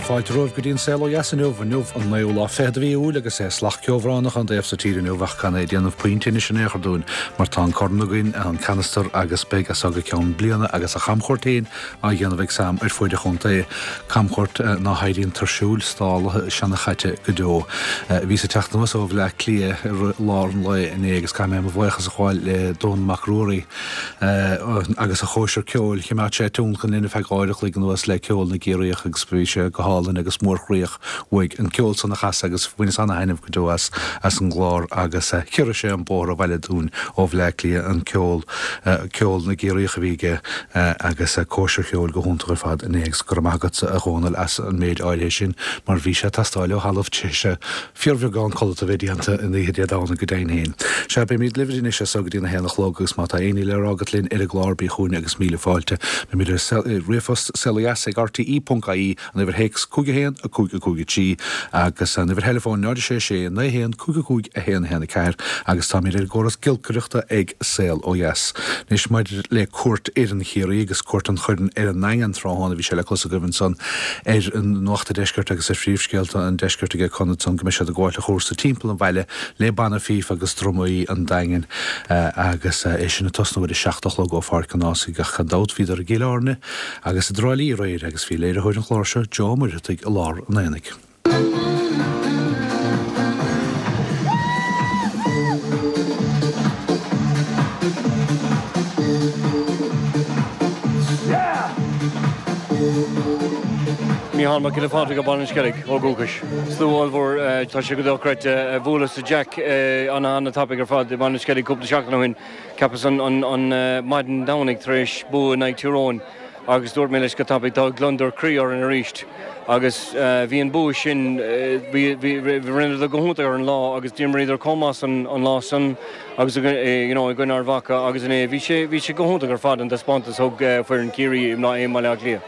Fáilte romhaibh go dtí an Saol Ó Dheas inniu, inniu an naoú lá fichead de mhí Iúil agus é salach ceobhránach ón dtaobh so tíre inniu ach gan é ag déanamh puinn tinnis in aon chor dúinn mar tá an corn againn, an canastar agus beidh as seo go ceann bliana agus a chamchuairt féin á dhéanamh ag Sam ar fuaid an chontae, camchuairt ná héiríonn tuirsiúil, stálaithe, seanchaite go deo. Bhíos ag teacht anuas ó Bhleá Cliath i rith lár an lae inné agus caithfidh mé mo bhuíochas a ghabháil le Dónall Mac Ruairí agus a chóisir ceoil. Choimeád sé tionlacan linn ar feadh uair a chloig anuas le ceol na gCiarraíoch agus bhí sé go hálainn agus mórchroíoch uaidh an ceol san a chasadh agus bhaineas ana-thaitneamh go deo as as an gclár agus chiorraigh sé an bóthar abhaile dúinn ó Bhleá Cliath an ceol ceol na gCiarraíoch a bhí aige agus cóisir cheoil go hiontach ar fad inné agus go raibh maith agatsa a Dhónaill as an méid áirithe sin mar bhí sé ag teastáil ó thalamh tar éis fíorbheagán codlata a bheith déanta an oíche Dé Domhnaigh go deimhin féin. Sea, beimid libh anois as so go dtí an 1 a chlog agus má tá aon ní le rá agat linn ar an gclár bí chugainn agus míle fáilte. Beimid ar ríomhphost saolodheas ag rte.ie an uimhir théacs 5 1 5 5 3 agus an uimhir theileafóin 0 6 6 9 1 5 5 1 1 4 agus táimid ar an gcóras giolcaireachta ag Saol Ó Dheas. Anois maidir le cuairt fhoireann Chiarraí agus cuairt an Choirn ar an nDaingean tráthnóna bhí sé le clos agaibh ansan ar Nuacht an Deiscirt agus ar phríomhscéalta an Deiscirt aige Con ansan go mbeidh siad ag gabháil an chúrsa timpeall an bhaile le banna fíf agus drumaí an Daingin agus é sin ag tosnú ar a 7 a chlog ó Pháirc an Ághasaigh ach gan dabht bhíodar i gCill Airne Agus i dTrá Lí aréir agus bhí léiritheoir an chláir seo, Joe Ó Muircheartaigh, i lár an aonaigh. Mícheál Mac Giolla Phádraig ó Bhaile an Sceilg ó dhúchas. Slua ollmhór, tá sé go dochreidte. Bhuaileas le Jack an-an-tapaidh ar fad i mBaile an Sceilg cúpla seachtain ó shin. Cheapas an maidin Domhnaigh tar éis bua in aghaidh Tír Eoghain agus dúirt mé leis go tapaidh tá gliondar croí orainn arís agus bhí an bua sin, bhí, rinneadar go hiontach ar an lá agus d'imríodar chomh maith san an lá san agus you know i gcoinne Ard Mhacha agus inné bhí sé, bhí sé go hiontach ar fad an taispeántas thug foireann Chiarraí i mBaile Átha Cliath.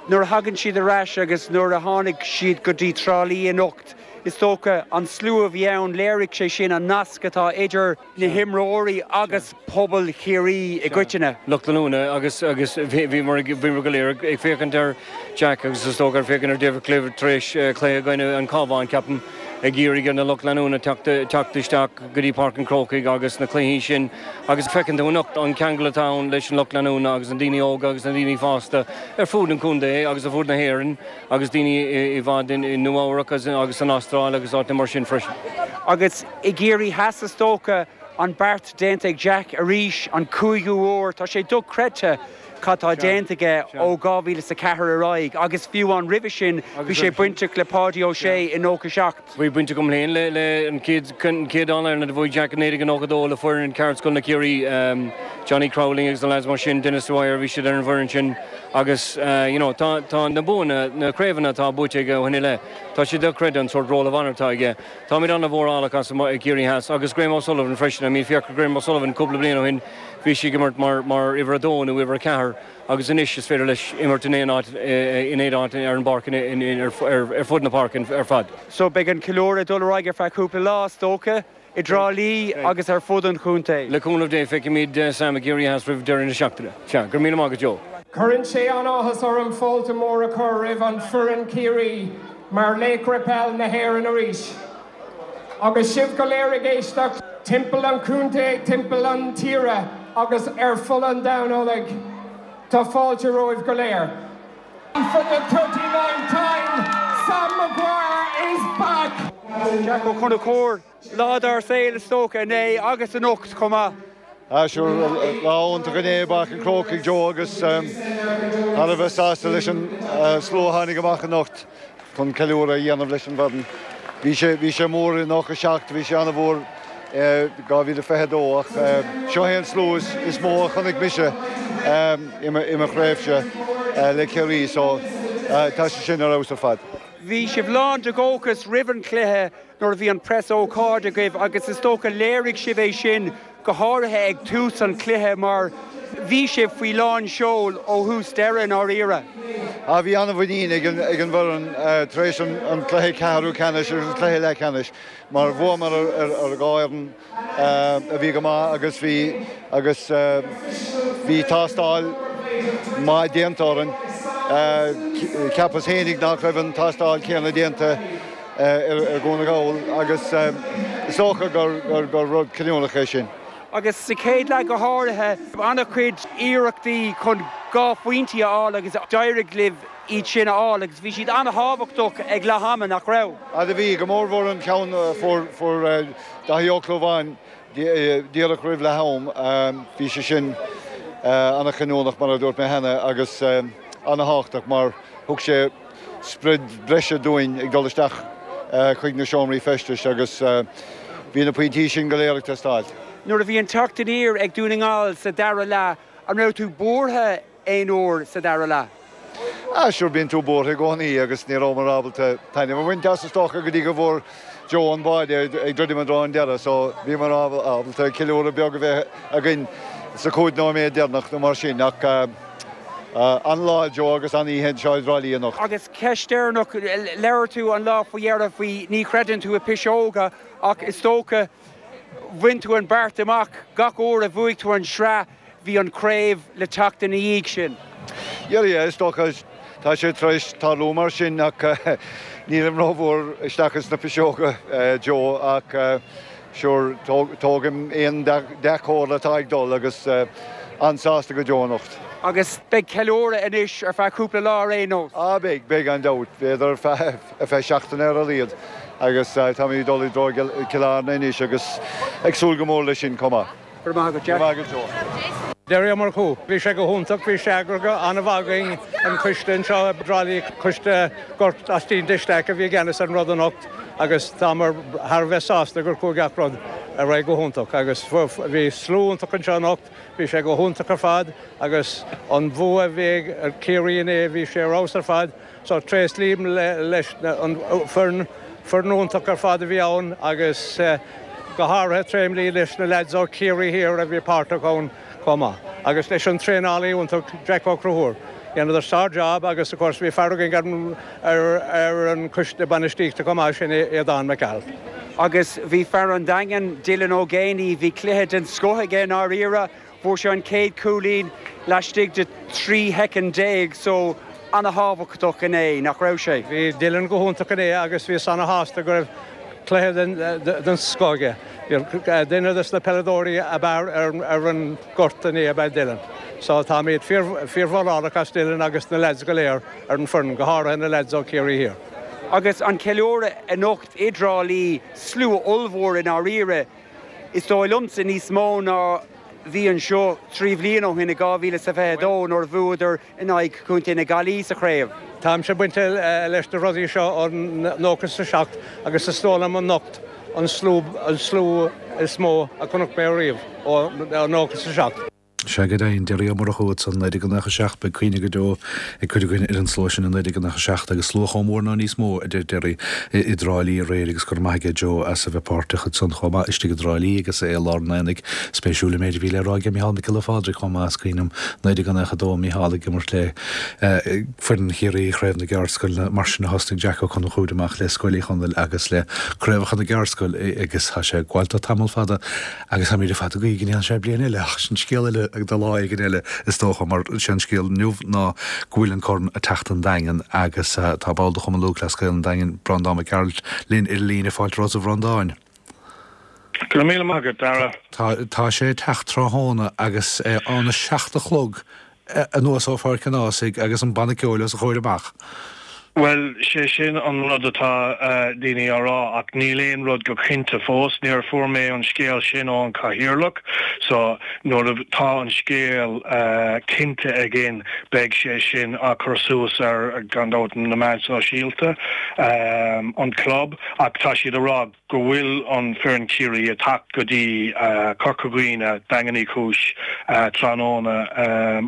Nuair a thagann siad ar ais agus nuair a tháinig siad go dtí Trá Lí anocht, is dócha an slua a bhí ann, léirigh sé sin an nasc atá idir na himreoirí agus pobal Chiarraí i gcoitinne. Lucht leanúna agus agus bhíomar bhíomar go léir ag féachaint ar Jack agus is dócha ag féachaint ar David Clifford tar éis cluiche i gcoinne an Cabhán ceapaim ag iarraidh ar na lucht leanúna teacht teacht isteach go dtí Páirc an Chrócaigh agus na cluichí sin agus feiceann tú anocht an ceangal atá ann leis an lucht leanúna agus na daoine óga agus na daoine fásta ar fud an chontae agus ar fud na hÉireann agus daoine i bhfad i Nua Eabhrac agus san Astráil agus áiteanna mar sin freisin. Agus i gCiarraí Theas is dócha, an beart déanta ag Jack arís, an cúigiú huair. Tá sé dochreidte cad tá déanta aige ó 2004 ar aghaidh agus fiú amháin roimhe sin bhí sé bainteach le Páidí Ó Sé i 97. Bhí baint agam féin le an chéad All-Ireland a bhuaigh Jack i 1992 le foireann Ceardscoil na Ciarraí, Johnny Crowley agus na lads mar sin, Denis Dwyer, bhí siad ar an bhfoireann sin agus you know tá na buanna, na craobhanna atá buaite aige ó shin i leith, tá sé dochreidte an sórt roll of honour atá aige. Táimid an-mhórálach as i gCiarraí Theas agus Graham O'Sullivan freisin. I mean féach ar Graham O'Sullivan cúpla bliain ó shin bhí sé ag imirt mar mar uimhir a dó nó uimhir a ceathair agus anois is féidir leis imirt in aon áit in aon áit ar an bpáirc ar fud na páirce ar fad. So beidh an ceiliúradh ag dul ar aghaidh ar feadh cúpla lá is dócha, i dTrá Lí agus ar fud an chontae. Le cúnamh Dé feicfimid Sam i gCiarraí Theas roimh deireadh na seachtaine. Sea, go raibh míle maith agat Joe. Cuireann sé an-áthas orm fáilte mór a chur roimh an foireann Ciarraí mar Laochra Peil na hÉireann arís. Agus sibh go léir ag éisteacht timpeall an chontae, timpeall an tíre agus ar fud an domhain uilig, tá fáilte romhaibh go léir. For the 39th time, Sam Maguire is back! Jack Ó Conchúir, Lá dár saol is dócha inné agus anocht chomh maith. Ah sure, lá iontach inné i bPáirc an Chrócaigh Joe agus thar a bheith sásta leis an slua a tháinig amach anocht chun ceiliúradh a dhéanamh leis an bhfoireann. Bhí sé, bhí sé mór i 97, bhí sé an-mhór i 2022 ach seo é an slua is mó a chonaic mise i mo thréimhse le Ciarraí so tá sé sin ar fheabhas ar fad. Bhí sibh lán de dhóchas roimh an chluiche nuair a bhí an preas-ócáid agaibh agus is dócha léirigh sibh é sin go háirithe ag tús an chluiche mar bhí sibh faoi lán seoil ó thús deireadh i ndáiríre. Ah bhí an-mhuinín ag an bhfoireann tar éis an cluiche ceathrú ceannais agus an cluiche leathcheannais mar bhuamar ar dhá fhoireann a bhí go maith agus bhí agus bhí tástáil maith déanta orainn. Cheapas fhéinig nach raibh an tástáil céanna déanta ar Dhún na nGall agus is dócha gur rud cinniúnach é sin. Agus sa chéad leath go háirithe, an-chuid iarrachtaí chun 2 phointí a fháil agus d'éirigh libh iad sin a fháil agus bhí siad an-thábhachtach ag leath ama, nach raibh? Ah bhí, go mórmhór an ceann a fuair Daithí Ó Clúmháin díreach roimh leath am. Bhí sé sin an-chinniúnach mar a dúirt mé cheana agus an-thábhachtach mar thug sé sprid breise dúinn ag dul isteach chuig na seomraí feistis agus bhí na pointí sin go léir ag teastáil. Nuair a bhí an teacht aniar ag Dún na nGall sa dara leath, an raibh tú buartha aon uair sa dara leath? Ah sure bíonn tú buartha i gcónaí agus ní rabhamar ábalta taitneamh a bhaint as is dócha go dtí go bhfuair Joe an báide ag druidim i dtreo an deireadh so bhíomar ábalta ceiliúradh beag a bheith againn sa chúig nóiméad deireanach nó mar sin ach an-lá Joe agus an-oíche anseo i dTrá Lí anocht. Agus ceist deireanach, labhair tú an lá faoi dheireadh faoi ní chreideann tú i piseoga ach is dócha bhain tú an beart amach gach uair a bhuaigh tú an sraith bhí an chraobh le teacht ina dhiaidh sin. Yeah, yeah, is dócha tá sé tar éis tarlú mar sin ach nílim rómhór isteach ins na piseoga, Joe, ach sure, tógaim aon dea-chomhartha atá ag dul agus an-sásta go deo anocht. Agus beidh ceiliúradh anois ar feadh cúpla lá ar aon nós? Ah beidh, beidh gan dabht, b'fhéidir ar feadh, ar feadh seachtaine ar a laghad agus táimid ag dul i dtreo Cill Airne anois agus ag súil go mór leis sin chomh maith. Go raibh maith agat, Jack. Go raibh maith agat, Joe. Derry Ó Murchú. Bhí sé go hiontach, bhí sé eagraithe an-mhaith againn, an coiste anseo i dTrá Lí, coiste Gort Austin de Staic a bhí i gceannas ar an rud anocht agus támar thar a bheith sásta gur chuaigh gach rud ar aghaidh go hiontach agus bhí slua iontach anseo anocht, bhí sé go hiontach ar fad agus an bua a bhí ag Ciarraí inné, bhí sé ar fheabhas ar fad. So tréaslaím leis an foireann, foireann iontach ar fad a bhí ann agus go háirithe tréaslaím leis na leaids ó Chiarraí Thiar a bhí páirteach ann chomh maith agus leis an traenálaí iontach Jack Ó Conchúir. Dheineadar sár-job agus of course bhí fear againn ar ar an choiste bainistíochta chomh maith, sin é Aodán Mac Gearailt. Agus bhí fear an Daingin, Dylan Ó Géibheannaigh, bhí cluiche den scoth aige i ndáiríre. Fuair sé an chéad chúilín laistigh de 13 shoicind so ana-thábhachtach inné, nach raibh sé? Bhí Dylan go hiontach inné agus bhíos ana-shásta go raibh cluiche den scoth aige. Duine des na peileadóirí ab fhearr ar an gort inné ab ea Dylan. So táimid fíor-mhórálach as Dylan agus na leaids go léir ar an foireann, go háirithe na leaids ó Ciarraí Thiar. Agus an ceiliúradh anocht i dTrá Lí, slua ollmhór i ndáiríre. Is dóigh liomsa níos mó ná bhí anseo 3 bhliain ó shin i 2022 nuair a bhuadar in aghaidh Chontae na Gaillimhe sa chraobh. Táimse bainte leis na rudaí seo ó 97 agus is dóigh liom anocht an slua is mó a chonaic mé ariamh ó 97. Sea, go deimhin, Derry Ó Murchú ansan, 1997, beidh cuimhne go deo ag cuid againn ar an slua sin i 1997 agus slua chomh mór nó níos mó, a deir Derry, i dTrá Lí aréir agus go raibh maith aige Joe as a bheith páirteach ansan chomh maith istigh i dTrá Lí agus é i lár an aonaigh. Spéisiúil an méid a bhí le rá aige Micheál Mac Giolla Phádraig chomh maith, is cuimhin liom 1992, Micheál ag imirt le foireann Chiarraí i Chraobh na gCeardscoileanna, mar sin a thosnaigh Jack Ó Conchúir amach le Scoil Uí Chonaill agus le Craobhacha na gCeardscoil agus tá sé ag gabháil dó tamall fada. Agus táimid ar fad ag guí go ndéanfaidh sé bliain eile, ach sin scéal eile do lá éigin eile is dócha, mar sé an scéal inniu ná go bhfuil an corn ag teacht an Daingean agus tá ball de Chumann Lúthchleas Gael an Daingin, Breandán Mac Gearailt, linn ar an líne. Fáilte romhat a Bhreandáin. Go raibh míle maith agat, Dara. Tá, tá sé ag teacht tráthnóna agus óna seacht a chlog anuas ó Pháirc an Ághasaigh agus an banna ceoil os a chomhair amach. Bhuel, sé sin an rud atá daoine á rá, ach níl aon rud go cinnte fós. Níor fuair mé an scéal sin ón Chathaoirleach, so nuair atá an scéal cinnte againn beidh sé sin á chur suas ar, gan dabht, na meáin sóisialta, an club, ach tá siad a rá go bhfuil an foireann Ciarraí ag teacht go dtí Corca Dhuibhne, Daingean Uí Chúis, tráthnóna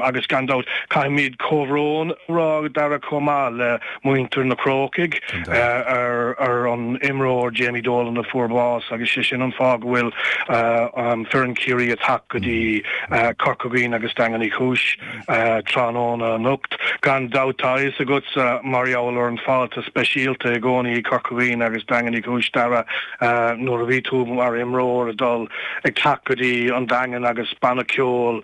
agus gan dabht caithfimid comhbhrón a rá Dara chomh maith le muintir. muintir na Crócaigh ar an imreoir Jamie Dolan a fuair bás agus sé sin an fáth go bhfuil foireann Chiarraí ag teacht go dtí Corca Dhuibhne agus Daingean Uí Chúis tráthnóna anocht. Gan dabht tá a fhios agatsa mar gheall ar an fáilte speisialta i gcónaí i Corca Dhuibhne agus Daingean Uí Chúis Dara nuair a bhí tú mar imreoir ag dul ag teacht go dtí an Daingean agus banna ceoil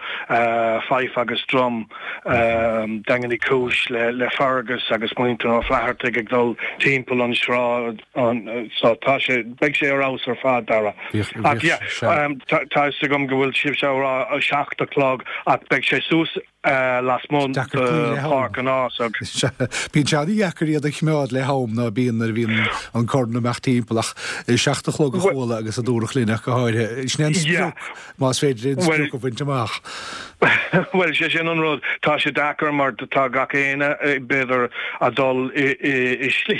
Fife agus Drum Daingean Uí Chúis le Fergus agus muintir Ó Flathartaigh ag dul timpeall an sráid so tá sé, beidh sé ar fheabhas ar fad Dara. Ach yeah, tá a fhios agam go bhfuil sibhse ag rá a 7 a chlog ach beidh sé suas lasmuigh de Pháirc an Ághasaigh. Bíonn sé an-dheacair iad a choimeád le ham ná bíonn nuair a bhíonn an corn ag imeacht timpeall ach 7 a chlog a chuala agus a dúradh linn ach go háirithe. Sin é an sprioc. Más féidir aon sprioc a bhaint amach. Bhuel, sé sin an rud. Tá sé deacair mar tá gach éinne, b'fhéidir, a dul i slí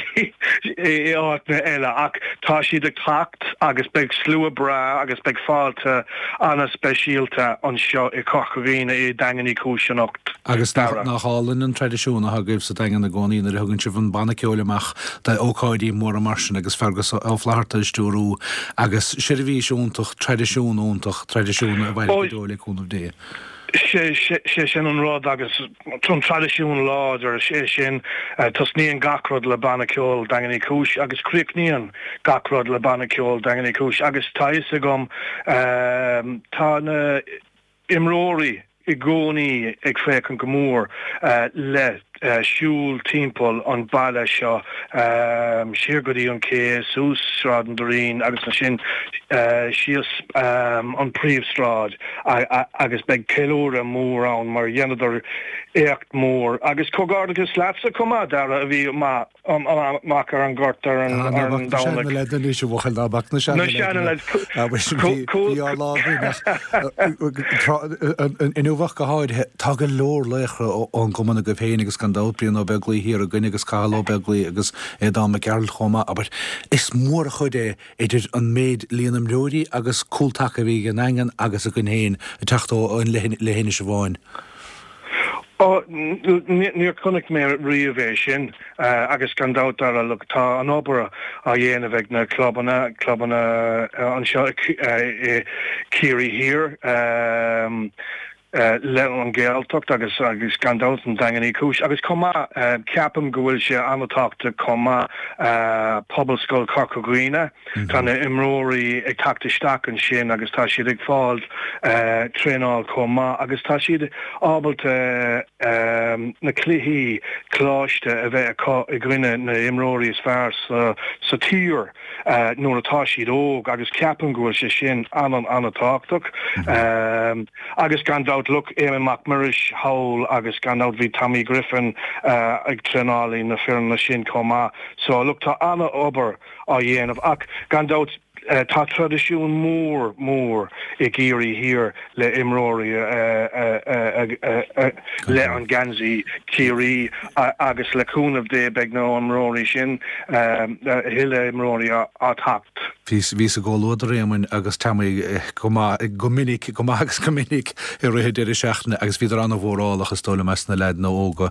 i áiteanna eile ach tá siad ag teacht agus beidh slua breá agus beidh fáilte ana-speisialta anseo i Corca Dhuibhne i Daingean Uí Chúis anocht. Agus nach álainn an traidisiún atá agaibh sa Daingean i gcónaí nuair a thugann sibh an banna ceoil amach d'ócáidí móra mar sin agus Fergus Ó Flatharta ag stiúrú agus seirbhís iontach, traidisiún iontach, traidisiún a mhairfidh go deo le cúnamh Dé. Sé sin an rud agus an traidisiún láidir é sin. Tosnaíonn gach rud le banna ceoil Daingean Uí Chúis agus críochnaíonn gach rud le banna ceoil Daingean Uí Chúis agus tá fhios agam tá na imreoirí i gcónaí ag féachaint go mór le siúl timpeall an baile seo, siar go dtí an cé, suas Sráid an Doirín agus ansin síos an príomhshráid agus beidh ceiliúradh mór ann mar dheineadar éacht mór. Agus comhghairdeachas leatsa chomh maith, Dara, a bhí maith. amach ar an ngort ar an Domhnach. Na seana-leaideanna anois, a bhuachaill, ná bac na seana-leaideanna. Bhí ár lá againn ach inniu ach go háirithe, tá go leor laochra ón gcumann agaibh féin agus gan dabht Brian Ó Beaglaoi thiar againn agus Cathal Ó Beaglaoi agus Aodán Mac Gearailt chomh maith, abair. Is mór an chuid é idir an méid líon imreoirí agus cúl taca a bhí ag an nDaingean agus againn féin ag teacht ó leithinis amháin. Ó, níor chonaic mé riamh é sin agus gan dabht Dara, look, tá an obair á dhéanamh ag na clubanna, clubanna anseo i Ciarraí Thiar, le an Ghaeltacht agus agus gan dabht an Daingean Uí Chúis agus chomh maith ceapaim go bhfuil sé an-tábhachtach chomh maith Pobalscoil Chorca Dhuibhne. Tá na imreoirí ag teacht isteach ansin agus tá siad ag fáil traenáil chomh maith agus tá siad ábalta na cluichí coláiste a bheith acu i gcoinne na imreoirí is fearr sa tír nuair atá siad óg agus ceapaim go bhfuil sé sin an-an-tábhachtach. Agus gan dabht, look, Éamonn Mac Muiris thall agus gan dabht bhí Tommy Griffin ag traenáil na foirne sin chomh maith. So look, tá an-obair á dhéanamh. Ach gan dabht tá traidisiún mór mór i gCiarraí Thiar le imreoirí le an geansaí Chiarraí agus le cúnamh Dé beidh na imreoirí sin, a thuilleadh imreoirí á teacht. Bhíos i gcomhluadar Éamoinn agus Tommy go maith, go minic, go maith agus go minic i rith an deireadh seachtaine agus bhíodar an-mhórálach is dóigh liom as na leaideanna óga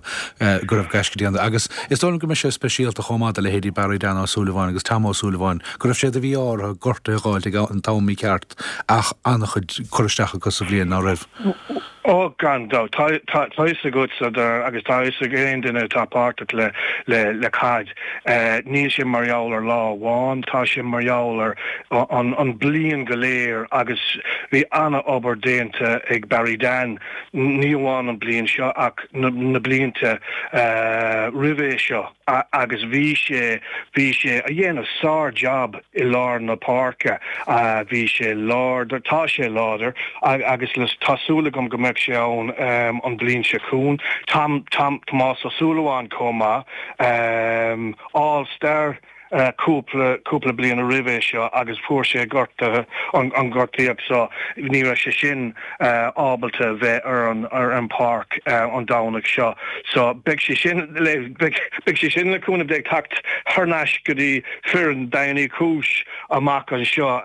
go raibh gaisce déanta agus is dóigh liom go mbeidh sé speisialta chomh maith do leithéidí Barry Dan Ó Súilleabháin agus Tom Ó Súilleabháin go raibh sé de mhí-ádh orthu gortuithe a dh'fháilt ag an t-am mícheart ach an-chuid cur isteach acu sa bhliain ná raibh. Ó, gan dabht. Tá a fhios agatsa agus tá a fhios ag aon duine atá páirteach le caid, níl sé mar gheall ar lá amháin, tá sé mar gheall ar an bliain go léir agus bhí an-obair déanta ag Barry Dan, ní amháin an bliain seo ach na blianta roimhe seo. agus bhí sé, bhí sé a dhéanamh sár-jab i lár na páirce, bhí sé láidir, tá sé láidir agus tá súil agam go mbeidh sé ann an bliain seo chugainn. Tom, Tom, Tomás Ó Súilleabháin chomh maith, All Star. Cúpla, cúpla bliain roimhe seo agus fuair sé gortaithe, an gortaíocht so ní raibh sé sin ábalta bheith ar an, ar an páirc an Domhnach seo. So beidh sé sin le, beidh, beidh sé sin le cúnamh Dé ag teacht thar n-ais go dtí foireann Daingean Uí Chúis amach anseo.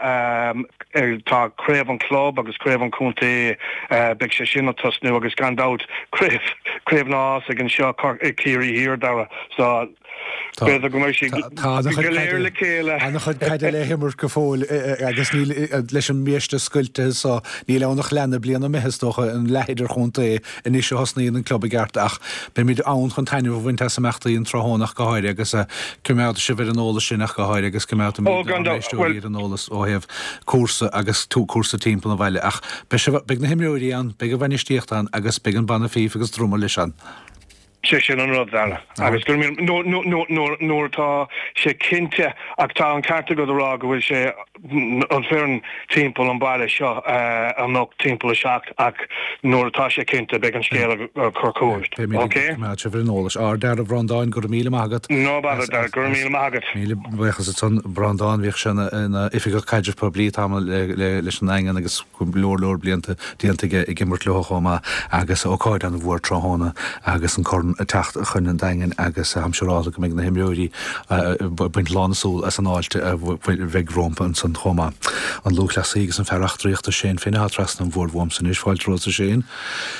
Tá craobh an chlub agus craobh an chontae, beidh sé sin ag tosnú agus gan dabht craobh, craobh na nÁsaigh anseo, Ciarraí Thiar, Dara. So. B'fhéidir go mbeidh siad go léir le chéile. An-chuid caide le himirt go fóill agus níl, leis an mbiaiste scoilte so, níl ann ach leath na bliana imithe is dócha, an leath idirchontae anois a thosnaíonn an club i gceart ach beimid ann chun taitneamh a bhaint as imeachtaí an tráthnóna ach go háirithe agus coimeádfaidh sibh ar an eolas sinn ach go háirithe agus coimeádfaimid ár n-éisteoirí ar an eolas ó thaobh cúrsa agus cúrsa timpeall an bhaile ach beidh sibh, beidh na himreoirí ann, beidh an bhainistíocht ann agus beidh an banna fífe agus druma leis ann. Sé sin an rud, Dara. Agus go raibh míle, nuair atá sé cinnte, ach tá an ceart agat a rá go bhfuil sé, an foireann timpeall an baile seo anocht timpeall a 7 ach nuair atá sé cinnte beidh an scéal á chur chugat. Beimid ag coimeád sibh ar an eolas. A Dhara, a Bhreandáin, go raibh míle maith agat. No bother, Dara, go raibh míle maith agat. Míle buíochas ansan, Breandán, bhíodh sé ina oifigeach caidrimh poiblí tamall leis an nDaingean agus. go leor leor blianta déanta aige ag imirt leo chomh maith agus ócáid an-mhór tráthnóna agus an corn ag teacht chun an Daingin agus táim siúráilte go mbeidh na himreoirí ag baint lán na súl as an fháilte a bheidh rompu ansan chomh maith. An lúthchleasaí agus an fear eachtraíochta Shane Finn atá trasna an bhoird uaimse anois. Fáilte romhat a Shane.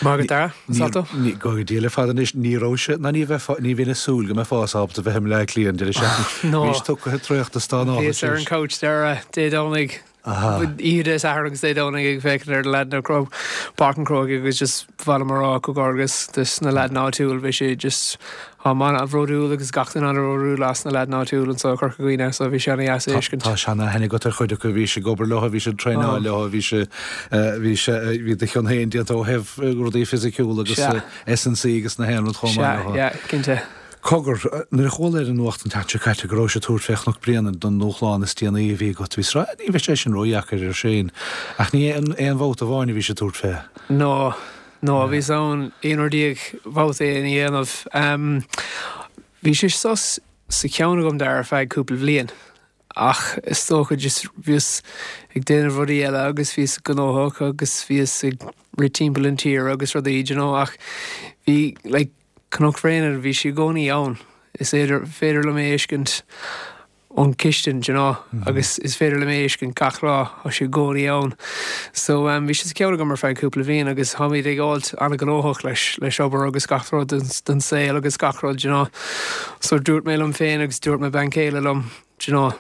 Maith agat Dara. Salto. Go Dia le fada anois ní raibh sé ná ní bheifeá ní bheinn ag súil go mbeifeá ábalta bheith i mBleá Cliath an deireadh seachtaine. Bhís tugtha traochta stánála. Bhíos ar an couch Dara Dé Domhnaigh Oíche Dé Sathairn agus Dé Domhnaigh ag féachaint ar na leaideanna ag Páirc an Chrócaigh agus just ba mhaith liom a rá comhghairdeas dos na leaideanna áitiúil bhí sé just táim an-bhródúil agus gach duine an-bhródúil as na leaideanna áitiúil anseo i Corca Dhuibhne so bhí sé ana-dheas a fheiscint. Tá seana-aithne agat ar chuid acu, bhís ag obair leo, bhís ag traenáil leo, bhí sé, bhí sé, bhí do chion féin déanta ó thaobh rudaí fisiciúla agus S&C agus na haon rud chomh maith leo. Sea, yeah, cinnte. Cogar, nuair a chuala ar an nuacht an tseachtain seo caite go rabhais ag tabhairt fé Chnoc Bréanainn don ndúshlán is déanaí a bhí agat, bhíos ag rá, ní bheidh sé sin ródheacair ar Shane. Ach ní aon bhabhta amháin a bhís ag tabhairt fé. No, no, bhíos ann 11 uair babhta é a dhéanamh. Bhí sé sos sa cheann agam Dara ar feadh cúpla bhliain. Ach is dócha just bhíos ag déanamh rudaí eile agus bhíos gnóthach agus bhíos ag rith timpeall an tír agus rudaí, do you know, ach bhí like Cnoc Bhréanainn, bhí sé i gcónaí ann. Is féidir, féidir liom é a fheiscint ón chistin, do you know, agus is féidir liom é a fheiscint gach lá, tá sé i gcónaí ann. So bhí sé sa cheann agam ar feadh cúpla bhliain agus táimid ag fháilt an-ghnóthach leis, leis obair agus gach rud den, den saol agus gach rud, do you know. So dúirt mé liom féin agus dúirt mo bean chéile liom, do you know,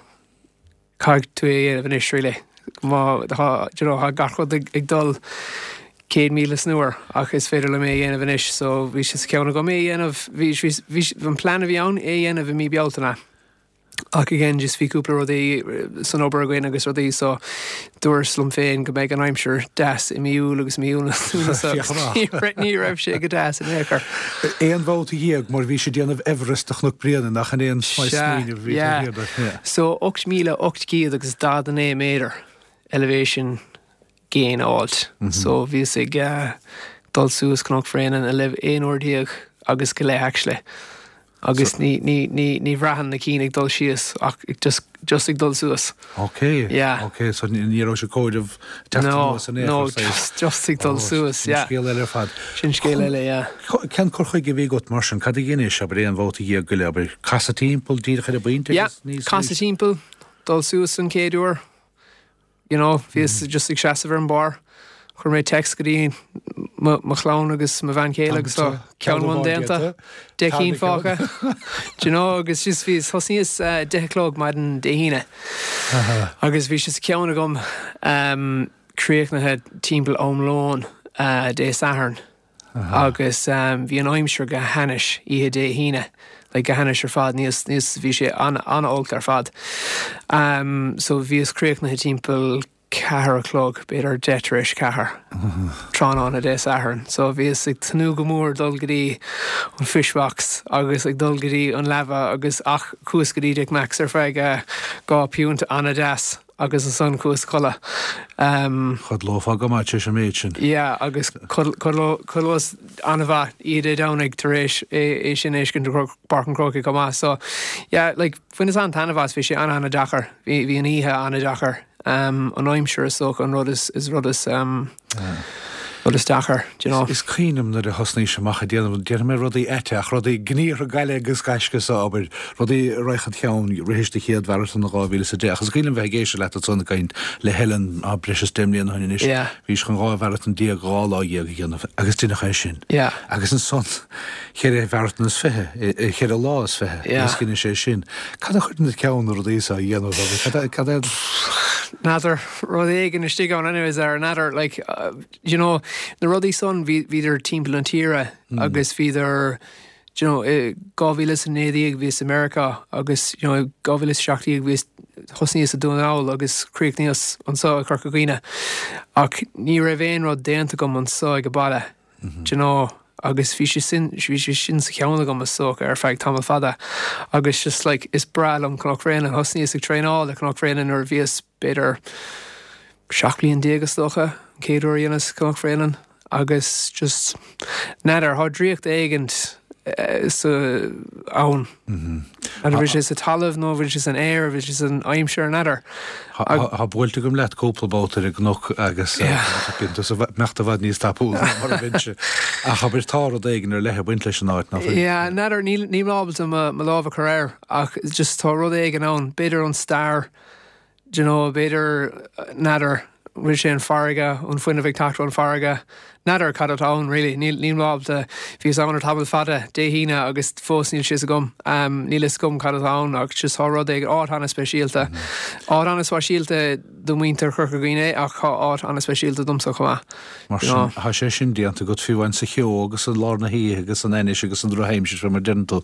Caithfidh tú é a dhéanamh anois really. Má tá, do you know, tá gach rud ag dul 100,000 san uair ach is féidir liom é a dhéanamh anois so bhí sé sa cheann agam é a dhéanamh, bhí, bhí, bhí, an plean a bhí ann é a dhéanamh i mí Bealtaine ach again just bhí cúpla rudaí san obair againn agus rudaí so dúras liom féin go mbeidh an aimsir deas i mí Iúil agus mí Lúnasa agus ní raibh sé go deas in aon chor. Aon bhabhta dhéag mar bhís ag déanamh Everest de Chnoc Bréanainn nach in é an smaoineamh a bhí taobh thiar de. Sea, yeah. So 8,800 agus 49 méadar elevation gain a fháilt. So bhíos ag dul suas Cnoc Bhréanainn 11 uair agus go leith actually. Agus ní, ní, ní, ní bhraitheann na cinn ag dul síos ach just, just ag dul suas. Ok, Yeah. ok, so ní ní raibh sé comhaireamh teacht No, anuas in aon no, chor, saghas. just, just ag dul Oh, suas, sin yeah. scéal eile ar fad. Sin scéal eile, yeah. Cén cur chuige a bhí agat mar sin? Cad a dheinis, abair, aon bhabhta dhéag go leith, abair, casadh timpeall díreach ar an bpointe Yeah, agus níos casadh timpeall, dul suas an chéad uair, You know, bhíos just ag seasamh ar an barr, chuir mé text go dtí mo chlann agus mo bhean chéile agus tá ceann amháin déanta, 10 cinn fágtha, do you know, agus just bhíos, thosnaíos 10 a chlog maidin Dé hAoine agus bhí sé sa cheann agam críochnaithe timpeall am lóin Dé Sathairn. Agus bhí an aimsir go hainnis oíche Dé hAoine, like go hainnis ar fad, níos, níos, bhí sé an-olc ar fad. So bhíos críochnaithe timpeall ceathair a chlog, b'fhéidir deich tar éis ceathair, tráthnóna Dé Sathairn. So bhíos ag tnúth go mór dul go dtí an Fish Box agus ag dul go dtí an leaba agus ach chuas go dtí Dick Mack's ar feadh 2 piúnt an-deas. agus ansan chuas a chodladh. Chodlófá go maith tar éis an méid sin. Yeah, agus chodlós an-mhaith oíche Dé Domhnaigh tar éis é sin a fheiscint i bPáirc an Chrócaigh chomh maith. So, yeah, like, bhaineas an-taitneamh as, bhí sé an-an-deacair, bhí an oíche an-deacair. An aimsir is dócha an rud is rud is rud is deacair, do you know. Is cuimhin liom nuair a thosnaís amach ag déanamh, déarfaidh mé rudaí aite ach rudaí gníomhartha gaile agus gaisce so abair, rudaí a raghadh chun ceann, rithis do chéad mharatón in 2010 ach is cuimhin liom bheith ag éisteacht leat ansan ag caint le Helen á breis is 10 mbliana ó shin anois, bhís chun 12 mharatón 2 lá a dhéanamh agus deineadh é sin. Agus ansan cheithre mharatón is fiche, cheithre lá is fiche agus dheinis é sin. Cad a chuireann i do cheann na rudaí seo a dhéanamh agus cad é, cad é. N'fheadar, rud éigin istigh ann anyways ar n'fheadar, like, you know, na rudaí san bhí, bhíodar timpeall na tíre agus bhíodar, you know, i 2019 bhíos i Meiriceá agus, you know, i 2017 bhíos, thosnaíos i Dún na nGall agus chríochnaíos anso i Corca Dhuibhne ach ní raibh aon rud déanta agam anso ag an baile. Do you know, agus bhí sé sin, bhí sé sin sa cheann agam is dócha ar feadh tamall fada agus just like is breá liom Cnoc Bhréanainn, thosnaíos ag traenáil le Cnoc Bhréanainn nuair a bhíos b'fhéidir 17 bliain is dócha, an chéad uair a dheineas Cnoc Bhréanainn agus just n'fheadar, thá draíocht éigint sa, ann. An bhfuil sé sa talamh nó an bhfuil sé san aer, an bhfuil sé san aimsir, n'fheadar. Tá buailte agam leat cúpla babhta ar an gcnoc agus bíonn tusa imeacht i bhfad níos tapúla ná mar a bheinnse. Ach abair tá rud éigin ar leith ag baint leis an áit, nach bhfuil? Yeah, n'fheadar, níl mé ábalta mo lámh a chur air ach just tá rud éigin ann, b'fhéidir an stair, Do you know, b'fhéidir, n'fheadar, bhfuil sé an farraige, an fuinneamh ag teacht ón farraige, n'fheadar cad atá ann really, níl, níl mé ábalta, bhíos ann ar tamall fada Dé hAoine agus fós níl sé 'fhios agam, níl 'fhios agam cad atá ann ach just tá rud éigin, áit an-speisialta, áit an-speisialta do mhuintir Chorca Dhuibhne é ach tá áit an-speisialta domsa chomh maith. Mar sin, tá sé sin déanta agat fiú amháin sa cheo agus i lár na hoíche agus san ainnis agus san drochaimsir, fé mar a deireann tú.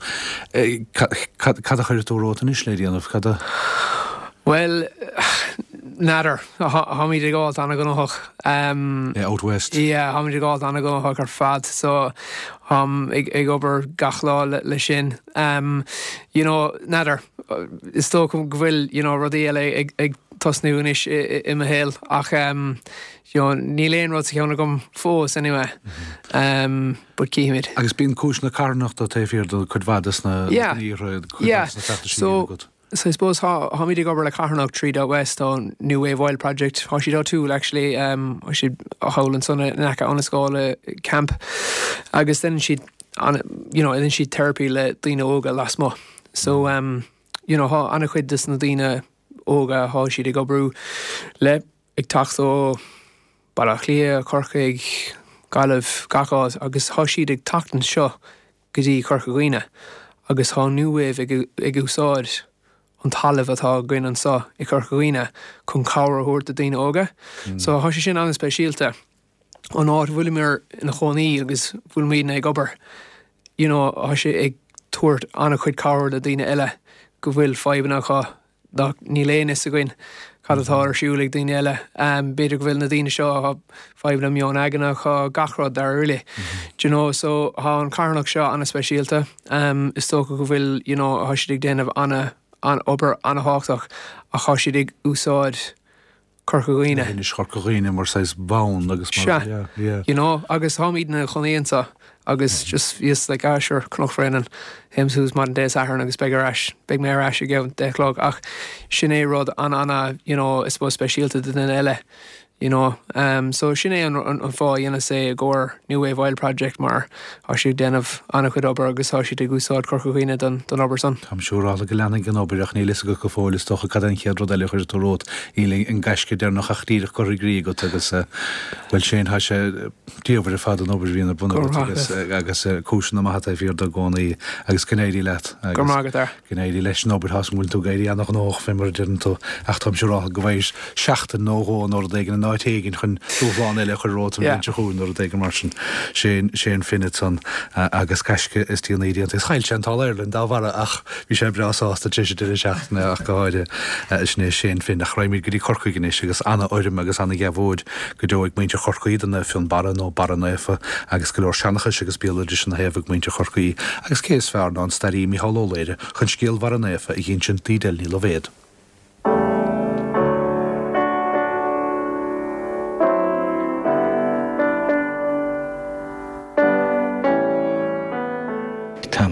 Cad a chuirfidh tú romhat anois le déanamh? Cad a. Bhuel, n'fheadar. Táimid ag gabháilt an-ghnóthach. Yeah, out west. Yeah, táimid ag gabháilt an-ghnóthach ar fad. So, táim ag obair gach lá le sin. You know, n'fheadar. Is dócha go bhfuil, you know, rudaí eile ag tosnú anois i mo shaol ach, You know, níl aon rud sa cheann agam fós anyway, but cífimid. Agus bíonn cúis na carthanachta taobh thiar de cuid mhaith des na gníomhartha, cuid mhaith des na feachtais a bhíonn agat. So I suppose tá, táimid ag obair le carthanacht tríd Out West, tá an New Wave Wild Project, tá siad áitiúil actually, tá siad thall ansan in aice Annascaul Camp agus deineann siad an, you know, deineann siad therapy le daoine óga lasmuigh. So, you know, tá an-chuid des na daoine óga, tá siad ag oibriú le ag teacht ó Baile Átha Cliath, Corcaigh, Gaillimh, gach áit agus thá siad ag teacht anseo go dtí Corca Dhuibhne agus thá New Wave ag ag úsáid an talamh atá againn anseo i Corca Dhuibhne chun cabhair a thabhairt do daoine óga. So thá sé sin an-speisialta. An áit a bhfuilimir ina chónaí agus bhfuilimidne ag obair you know thá sé ag tabhairt an-chuid cabhair do daoine eile go bhfuil fadhbanna acu Ach níl aon fhios againn cad atá ar siúl ag daoine eile. B'fhéidir go bhfuil na daoine seo, tá fadhbanna meon aigne acu, gach rud dáiríre. Do you know, so tá an carthanacht seo an-speisialta. Is dócha go bhfuil, you know, tá siad ag déanamh ana, an-obair an-thábhachtach ach tá siad ag úsáid Corca Dhuibhne. Leithinis Chorca Dhuibhne mar saghas bonn agus mar, Sea, yeah, yeah. you know, agus táimidne ina chónaí anseo agus just bhíos like, ah sure, Cnoc Bhréanainn, théim suas maidin Dé Sathairn agus beidh ar ais, beidh mé ar ais i gceann 10 a chlog ach sin é rud an-ana, you know, I suppose speisialta do duine eile. You know, so sin é an fáth a dheineas é i gcomhair New Wave Wild Project mar tá siad ag déanamh an-chuid obair agus tá siad ag úsáid Corca Dhuibhne don obair san. Táim siúráilte go leanfaidh an obair ach níl fhios agat go fóill is dócha cad é an chéad rud eile a chuirfidh tú romhat. Níl an gaisce deireanach ach díreach curtha i gcrích agat agus, bhuel Shane, tá sé diamhair ar fad an obair a bhíonn ar bun agat agus agus cúiseanna maithe taobh thiar de i gcónaí agus go n-éirí leat agus Go raibh maith agat, a. Go n-éirí leis an obair, tá 's agam go bhfuil tú ag éirí ana-ghnóthach fé mar a deireann tú, ach táim siúráilte go bhfaighir seachtain nó dhó nó rud éigin in áit éigin chun dúshlán eile a chur romhat an bhliain seo chugainn nó rud éigin mar sin. Shane, Shane Finn ansan agus gaisce is déanaí déanta. Is chaill sé an tAll Ireland dá bharra ach bhí sé breá sásta tar éis an deireadh seachtaine ach go háirithe. Sin é Shane Finn. Ach raghaimid go dtí Corcaigh anois agus ana-urraim agus ana-dheabhóid go deo ag muintir Chorcaí do Naomh Fionnbarra nó Barra Naofa agus go leor seanchais agus béaloidis ina thaobh ag muintir Chorcaí agus cé is fearr ná an staraí Micheál Ó Laoire chun scéal Bharra Naofa a dh'insint d'Edel Ní Loibhéad.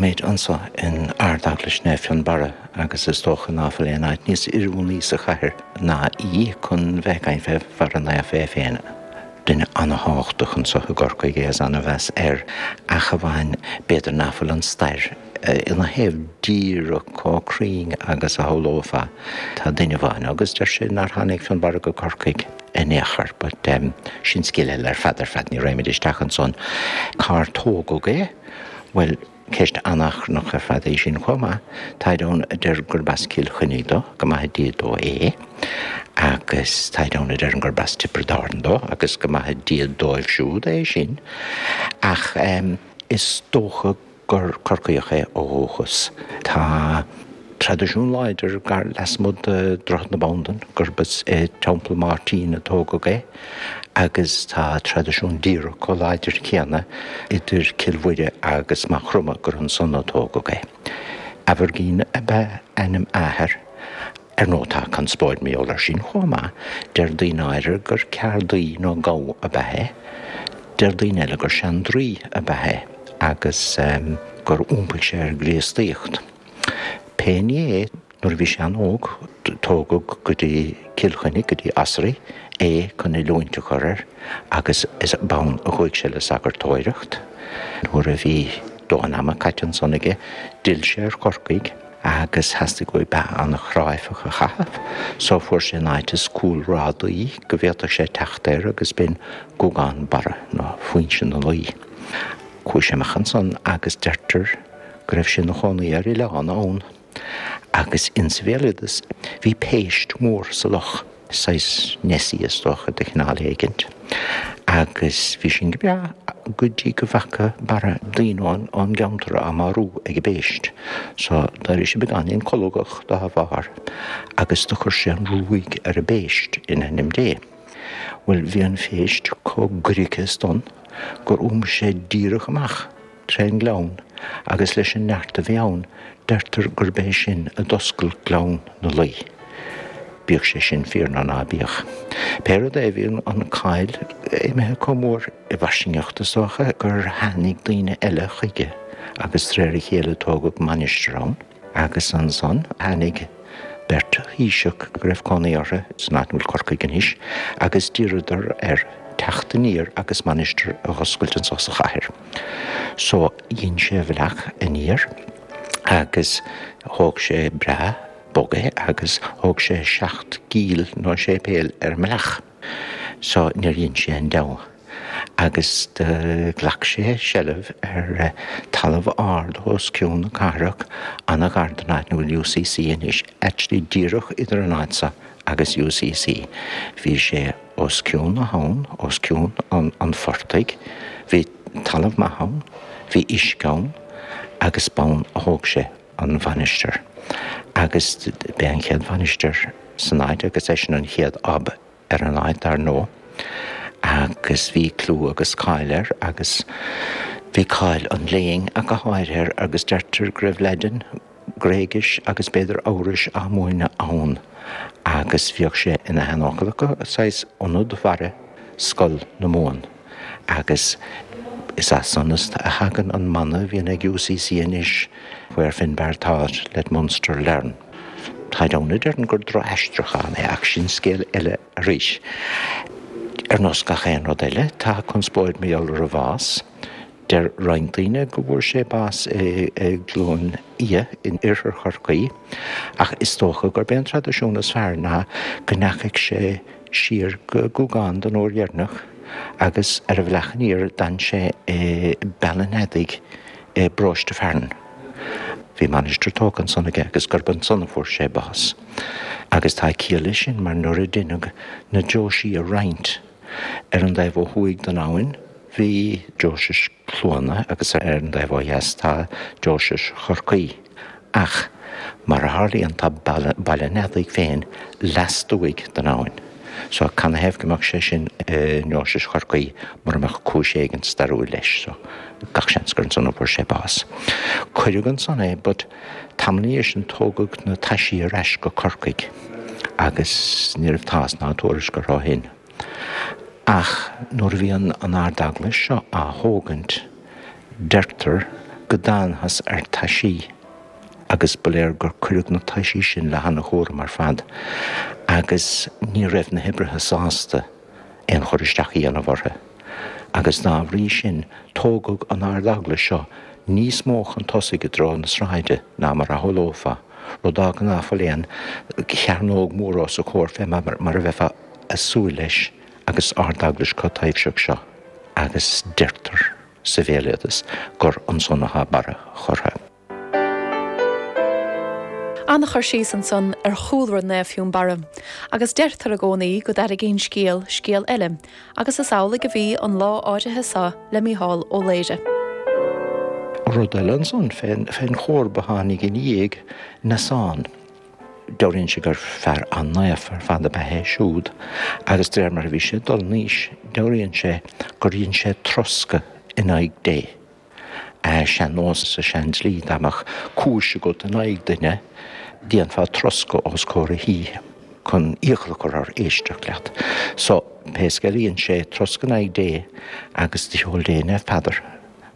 Táimid anso in Ard-Eaglais Naomh Fionnbarra agus is dócha ná fuil aon áit níos oiriúnaí sa chathair ná í chun bheith ag caint fé Bharra Naofa é féin. Duine ana-thábhachtach anso i gCorcaigh é is ana-mheas air ach amháin b'fhéidir ná fuil an stair ina thaobh díreach chomh cruinn agus a shamhlófá. Tá duine amháin agus deir sé nár tháinig Fionnbarra go Corcaigh in aon chor but sin scéal eile ar fad ar fad, ní raghaimid isteach ansan. Cár tógadh é? Bhuel, ceist an-achrannach ar fad í sin chomh maith. Táid ann a deir gurb as Cill Chainnigh dó, go maithe Dia dó é, agus táid ann a deireann gurb as Tiobraid Árann dó, agus go maithe Dia dóibh siúd é sin. Ach is dócha gur Corcaíoch é ó dhúchas. Tá traidisiún láidir gar lasmuigh de Dhroichead na Bandan gurb as i Teampall Máirtín a tógadh é agus tá traidisiún díreach chomh láidir céanna idir Cill Mhuire agus Maigh Chromtha gur ansan a tógadh é. Aimhirgín ab ea ainm a athar. Ar ndóigh tá conspóid mar gheall air sin chomh maith, deir daoine áirithe gur ceardaí nó gabha ab ea é, deir daoine eile gur seandraoi ab ea é agus gur iompaigh sé ar an gCríostaíocht. Pé ní é, nuair a bhí sé an-óg, tógadh go dtí Cill Chainnigh, go dtí Osraí, é chun oiliúint a chur air agus is b'ann a chuaigh sé le sagartóireacht. Nuair a bhí dóthain ama caite ansan aige, d'fhill sé ar Chorcaigh agus theastaigh uaidh beatha an-chráifeach a chaitheamh, so fuair sé an áit is cúlrádaí go bhféadfadh sé teacht air agus b'in Guagán Barra, nó Foinse na Laoi. Chuaigh sé amach ansan agus deirtear go raibh sé ina chónaí ar oileán ann agus insa bhéaloideas bhí péist mhór sa loch, saghas Nessie is dócha de chineál éigint, agus bhí sin go breá go dtí go bhfaca Barra daoine ón gceantar á marú ag an bpéist. So d'éirigh sé beagáinín colgach dá bharr agus do chuir sé an ruaig ar an bpéist in ainm Dé. Bhuel bhí an phéist chomh goiricthe is donn gur iompaigh sé díreach amach trén ngleann agus leis an neart a bhí ann deirtear gurb é sin a d'oscail Gleann na Laoi. Bíodh sé sin fíor nó ná bíodh. Pé rud é bhí an cáil imithe chomh mór i bhfairsingeacht is dócha gur tháinig daoine eile chuige agus de réir a chéile tógadh mainistir ann. Agus ansan tháinig beirt thaoiseach go raibh cónaí orthu san áit ina bhfuil Corcaigh anois agus d'iarradar air teacht aniar agus mainistir a dh'oscailt anso sa chathair. So dhein sé a bhealach aniar agus thóg sé breá bog é agus thóg sé 7 gcill nó séipéal ar an mbealach. So níor dhein sé aon deabhadh agus do ghlac sé seilbh ar talamh ard os cionn na cathrach, ana-ghar don áit 'na bhfuil UCC anois, actually díreach idir an áit so agus UCC. Bhí sé os cionn na habhann, os cionn an phortaigh, bhí talamh maith ann, bhí uisce ann agus b'ann a thóg sé an mhainistir. Agus b'é an chéad mhainistir san áit agus eisean an chéad ab ar an áit dar ndóigh agus bhí clú agus cáil air agus bhí cáil an léinn ach go háirithe air agus deirtear go raibh Laidin, Gréigis agus b'fhéidir Eabhrais á múineadh ann agus bhíodh sé ina sheanfhocal acu, saghas ionad Bharra, Scoil na Mumhan. Agus is as san a thagann an mana a bhíonn ag UCC anois, Where Finbarr taught, let Munster learn. Táid ann a deireann gur droch-aistriúchán é, ach sin scéal eile arís. Ar nós gach aon rud eile, tá conspóid mar gheall ar a bhás. Deir roinnt daoine go bhfuair sé bás i gCluain Fhia in oirthear Chorcaí, ach is dócha gurb é an traidisiún is fearr ná go ndeachaigh sé siar go Guagán don uair dheireanach agus ar a bhealach aniar d'fhan sé i Beal an Eadaigh i bparóiste Fearann. Bhí mainistir tógtha ansan aige agus gurb ansan a fuair sé bás. Agus tá ciall leis sin mar nuair a deineadh na deoisí a roinnt ar an dtaobh ó thuaidh den abhainn bhí deoise Cluana agus ar an dtaobh ó dheas tá deoise Chorcaí. Ach, mar a tharlaíonn, tá Baile an Eadaigh féin lastuaidh den abhainn. So, canathaobh go mbeadh sé sin i ndeoise Chorcaí mura mbeadh cúis éigin stairiúil leis? So, gach seans gur ansan a fuair sé bás. Cuireadh ansan é, but tamall ina dhiaidh sin tógadh na taisí ar ais go Corcaigh agus ní raibh tásc ná tuairisc orthu ó shin. Ach nuair a bhí an Ard-Eaglais seo á thógaint, deirtear. Go dtángthas ar taisí agus ba léir gur cuireadh na taisí sin le hana-chúram ar fad agus ní raibh na hoibrithe sásta aon chur isteach a dhéanamh orthu agus dá bhrí sin tógadh an Ard-Eaglais seo níos mó chun tosaigh i dtreo na sráide ná mar a shamhlófá, rud a fhágann ná fuil aon chearnóg mhór os a chomhair fé mar a bheifeá ag súil leis agus Ard-Eaglais chomh taibhseach seo agus deirtear sa bhéaloideas gur ansan atá Barra curtha. An-chur síos ansan ar chúlra Naomh Fionnbarra, agus deirtear i gcónaí go dtarraingíonn scéal scéal eile, agus is amhlaidh a bhí an lá áirithe seo le Mícheál Ó Laoire. Rud eile ansan fén chomharba a tháinig ina dhiaidh, Neasán. Dealraíonn sé gur fear an-naofa ar fad ab ea é siúd agus de réir mar a bhí sé ag dul in aois, dealraíonn sé gur dhein sé troscadh in aghaidh Dé. Sean-nós sa sean-dlí, dá mbeadh cúis agat in aghaidh duine, déanfá troscadh os comhair a thí chun iachall a chur air éisteacht leat. So, pé scéal é, dhein sé troscadh in aghaidh Dé agus do sheol Dé Naomh Peadar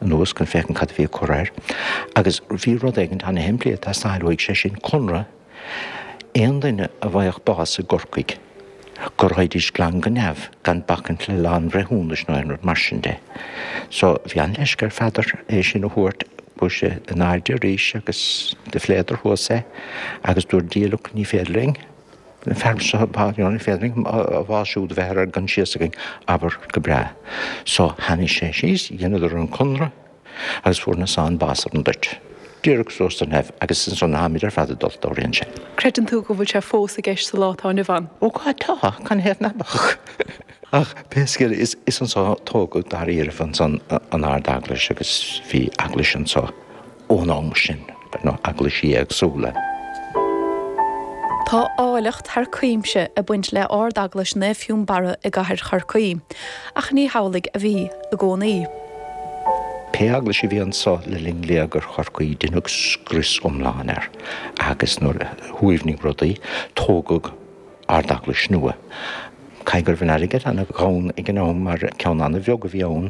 anuas chun féachaint cad a bhí ag cur air. Agus bhí rud éigint ana-shimplí ag teastáil uaidh, sé sin conradh, aon duine a bhfaigheadh bás i gCorcaigh, go raghaidís glan go neamh gan bacaint le lá an bhreithiúnais nó aon rud mar sin de. So bhí an-leisce ar Pheadar é sin a thabhairt, chuaigh sé in airde arís agus do phléadar thuas é agus dúirt Dia look ní féidir linn an fear seo you know ní féidir linn a bhás siúd a bheith ar ár gcoinsias againn, abair go breá. So tháinig sé síos, dheineadar an conradh agus fuair Neasán bás ar an dtoit. Díreach suas do neamh agus ansan táimid ar fad ag dul, dealraíonn sé. Creideann tú go bhfuil sé fós i gceist sa lá atá inniu ann? Ó God tá, canathaobh ná beadh? Ach pé scéal é, is anso a tógadh dáiríribh ansan an Ard-Eaglais agus bhí eaglais anso. ón am sin, nó eaglaisí éagsúla. Tá áilleacht thar cuimse ag baint le Ard-Eaglais Naomh Fionnbarra i gcathair Chorcaí, ach ní hamhlaidh a bhí i gcónaí. Pé eaglais a bhí anso le linn léigear Chorcaí, deineadh scrios iomlán air agus nuair a shuaimhnigh rudaí, tógadh Ard-Eaglais nua. Caithfidh go raibh an airgead ana-ghann ag an am mar ceann ana-bheag a bhí ann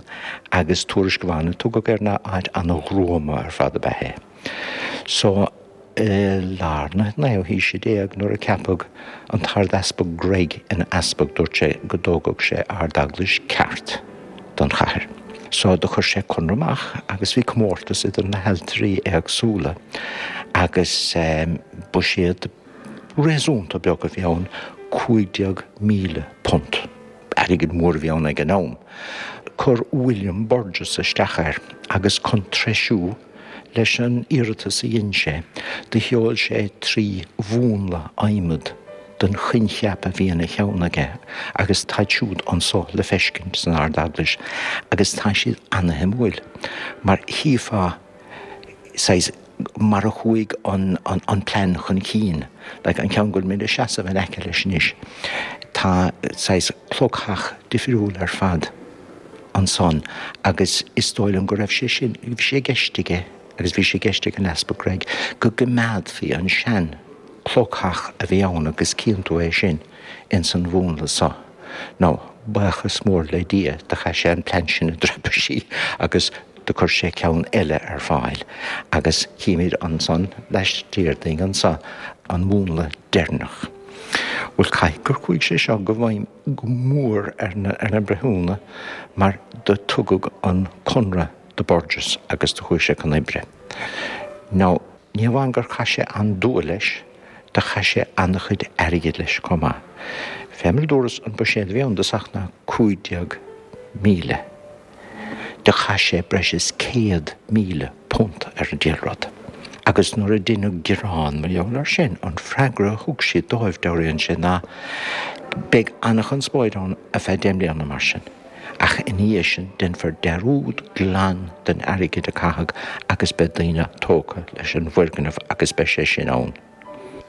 agus tuairisc amháin a tugadh air ná áit ana-ghruama ar fad ab ea é. So, i lár na naoú haoise déag nuair a ceapadh an tArd-Easpag Gregg ina easpag dúirt sé go dtógfadh sé Ard-Eaglais ceart don chathair. So do chuir sé conradh amach agus bhí comórtas idir na hailtirí éagsúla agus buiséad réasúnta beag a bhí ann, £15,000. Airgead mór a bhí ann ag an am. Chuir William Burges isteach air agus chun treisiú leis an iarratas a dhein sé, do sheol sé 3 mhúnla adhmaid den choincheap a bhí ina cheann aige agus táid siúd anso le feiscint san Ard-Eaglais agus tá siad ana-shuimiúil mar chífeá saghas mar a chuaigh an plean chun cinn, like an ceann go bhfuil muid ag seasamh in aice leis anois, tá saghas clogtheach difriúil ar fad ansan agus is dóigh liom go raibh sé sin, bhí sé i gceist aige agus bhí sé i gceist ag an Easpag Gregg go gcoimeádfaí an sean clogtheach a bhí ann agus cíonn tú é sin ins an mhúnla so. Now, buíochas mór le Dia, do chaith sé an plean sin i dtraipisí agus do chuir sé ceann eile ar fáil agus chímid ansan laistiar dínn anso an múnla deireanach. Bhuel, caithfidh gur chuaigh sé seo go bhfeidhm go mór ar na, ar na breithiúna mar do tugadh an conradh do Burges agus do chuaigh sé chun oibre. Now, ní hamháin gur chaith sé an-dua leis, do chaith sé an-chuid airgid leis chomh maith. Fé mar a dúras, an buiséad a bhí ann i dtosach ná 15,000. Do chaith sé breis is £100,000 ar an diabhal rud. Agus nuair a deineadh gearán mar gheall air sin, an freagra a thug siad dóibh, dealraíonn sé, ná beidh an-chonspóid ann ar feadh deich mbliana mar sin, ach ina dhiaidh sin déanfar dearúd glan den airgead a caitheadh agus beidh daoine tógtha leis an bhfoirgneamh agus beidh sé sin ann.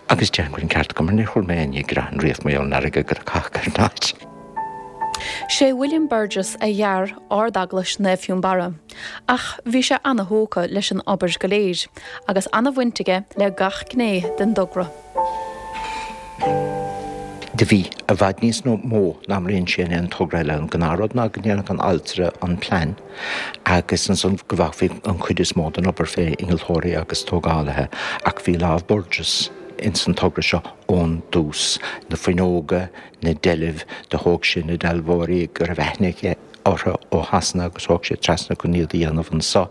Agus déarfainn go bhfuil an ceart acu mar níor chuala mé éinne ag gearán riamh mar gheall ar an airgead a caitheadh ar an áit. Sé William Burges a dhear Ard-Eaglais Naomh Fionnbarra, ach bhí sé ana-thógtha leis an obair go léir, agus ana-bhaint aige le gach gné den dtogra. Do bhí i bhfad níos mó ná mar a dhein sé in aon togra eile. An gnáthrud ná go ndéanfadh an ailtire an plean agus ansan go bhfágfaí an chuid is mó den obair fé innealtóirí agus tógálaithe ach bhí lámh Burgess ins an togra seo ón dtús. Na fuinneoga, na deilbh, do thóg sé na dealbhóirí go raibh aithne aige orthu ó Shasana agus thóg sé trasna chun iad a dhéanamh anso.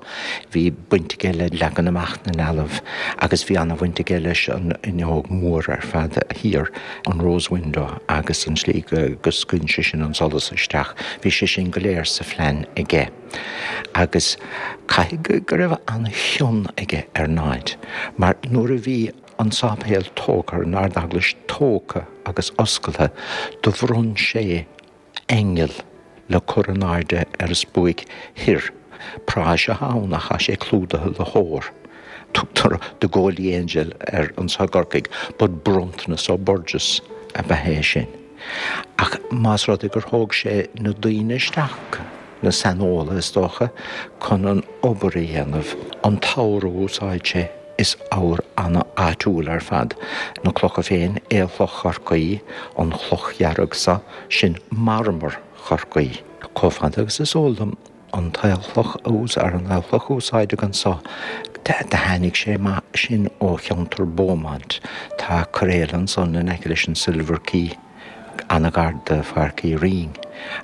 Bhí baint aige le leagan amach na ndealbh agus bhí ana-bhaint aige leis an fhuinneog mhór ar fad thiar, an rose window agus an tslí go scaoileann sé sin an solas isteach. Bhí sé sin go léir sa phlean aige. Agus caithfidh go raibh ana-chion aige ar an áit mar nuair a bhí an sáipéal tógtha, an Ard-Eaglais tógtha agus oscaltha, do bhronn sé aingeal le cur in airde ar an spuaic thoir. Práis atá ann ach tá sé clúdaithe le hór. Tugtar The Goldie Angel air anso i gCorcaigh but bronntanas ó Burgess ab ea é sin. Ach más rud é gur thóg sé na daoine isteach, na saineolaithe is dócha, chun an obair a dhéanamh, an t-ór a úsáid sé, Is ór ana-áitiúil ar fad na clocha féin, aolchloch Chorcaí, an chloch dhearg so, sin marmar Chorcaí. Chomh fada agus is eol dom, an t-aolchloch a an aolchloch a úsáideadh anso, do tháinig sé sin ó cheantar Beaumont. Tá cairéal ansan in aice leis an Silver Quay. an-ghar do Pháirc Uí Rinn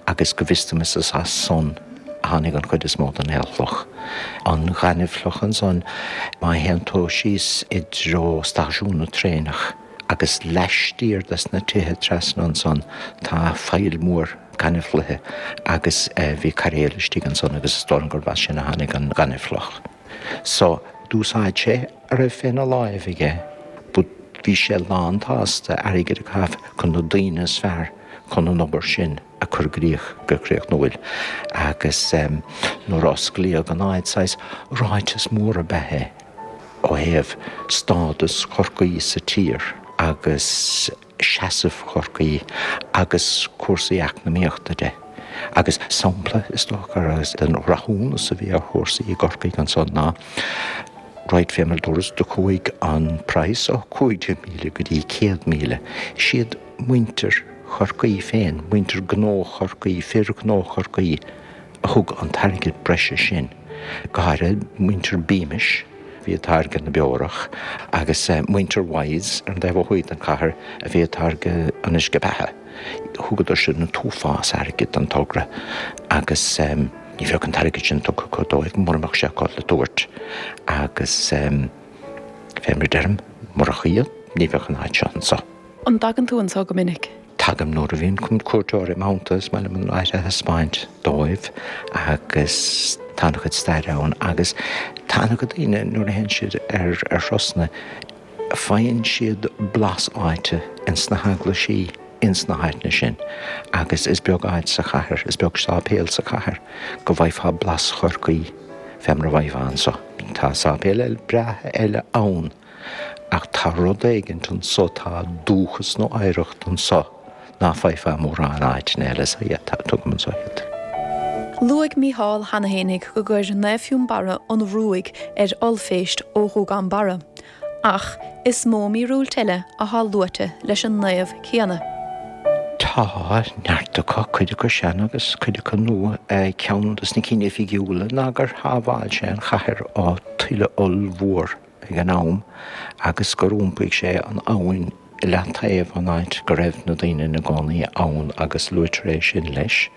agus go bhfios dom is as san a tháinig an chuid is mó den aolchloch. An ghaineamhchloch ansan, má théann tú síos i dtreo stáisiún na traenach agus laistiar des na tithe trasna ansan tá faill mhór gaineamhchloiche agus bhí cairéal istigh ansan agus is dóigh liom gurb as sin a tháinig an ghaineamhchloch. So, d'úsáid sé a raibh féna láimh aige but bhí sé lán-tsásta airgead a chaitheamh chun na daoine is fearr chun an obair sin a chur i gcrích go críochnúil. Agus nuair a osclaíodh an áit, saghas ráiteas mór ab ea é ó thaobh stádas Chorcaí sa tír agus seasamh Chorcaí agus cúrsaí eacnamaíochta de. Agus sampla, is dócha, den rathúnas a bhí ar chúrsaí i gCorcaigh ansan ná, right, fé mar a dúras, do chuaigh an praghas ó 15,000 go dtí 100,000. Is iad muintir Chorcaí féin, muintir gnó Chorcaí, fir ghnó Chorcaí, a thug an t-airgead breise sin, go háirithe muintir Beamish, a bhí ag táirgeadh na beorach, agus muintir Wyse ar an dtaobh ó thuaidh den chathair a bhí ag táirgeadh an uisce beatha. Thugadar sin an t-uafás airgid don togra agus ní bheadh an t-airgead sin tugtha acu dóibh mura mbeadh sé acu le tabhairt agus fé mar a deirim, murach iad ní bheadh an áit seo anso. An dtagann tú anso go minic? Tagaim nuair a bhíonn cuairteoirí im theannta, is maith liom an áit a thaispeáint dóibh agus tá an-chuid staire ann agus tá an-chuid daoine nuair a théann siad ar thurasanna faigheann siad blas áite ins na heaglaisí ins na háiteanna sin agus is beag áit sa chathair, is beag sáipéal sa chathair go bhfaighfeá blas Chorcaí fé mar a bhfaighfeá anso. Tá sáipéil breátha eile ann. Ach tá rud éigint anso, tá dúchas nó oidhreacht anso ná faighfeá mórán áiteanna eile, so yeah, tagaim anso iad. Luaigh Mícheál cheana fhéinig go gcuir Naomh Fionnbarra an ruaig ar ollphéist ó Ghúgán Barra, ach is mó míorúilt eile athá luaite leis an naomh céanna. Tá neart acu, cuid acu sean agus cuid acu nua. Ceann dos na cinn oifigiúla ná gur shábháil sé an chathair ó tuile ollmhór. ag an am agus gur iompaigh sé an abhainn i leataobh ón áit go raibh na daoine ina gcónaí ann agus luaitear é sin leis.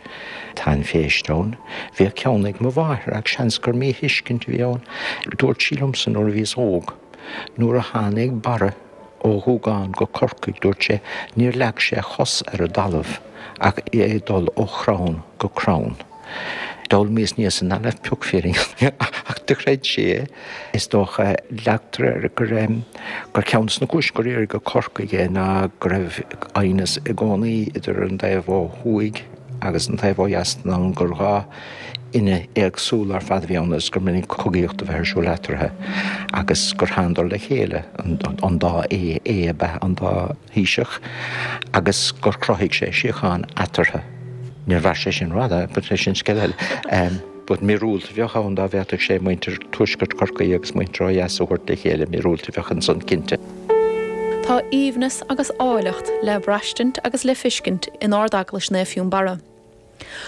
Tá an phéist ann. Bhíodh ceann ag mo mháthair ach seans gur míthuiscint a bhí ann. Dúirt sí liomsa nuair a bhíos óg, nuair a tháinig Barra ó Ghúgán go Corcaigh, dúirt sé, níor leag sé a chos ar an dtalamh ach é ag dul ó chrann go crann. D'fhoghlaimíos níos ina raibh pioc fírinne ach do chreid sí é. Is dócha, leagtar air gur gur ceann de na cúiseanna gur iarradh go Corcaigh é ná go raibh aighneas i gcónaí idir an taobh ó thuaidh agus an taobh ó dheas den abhainn, gur dha fhine éagsúla ar fad a bhí ann agus gur minic cogaíocht a bheith ar siúl eatarthu agus gur thánadar le chéile, an dá Aodh, Aodh ab ea an dá. Thaoiseach agus gur chruthaigh sé síocháin eatarthu. Níor mhair sé sin rófhada, but sin scéal eile. But míorúilt a bheadh ann dá bhféadfadh sé muintir tuaisceart Chorcaí agus muintir ó dheas a thabhairt le chéile, míorúilt a bheadh ansan cinnte. Tá aoibhneas agus áilleacht le braistint agus le fiscint in Ard-Eaglais Naomh Fionnbarra.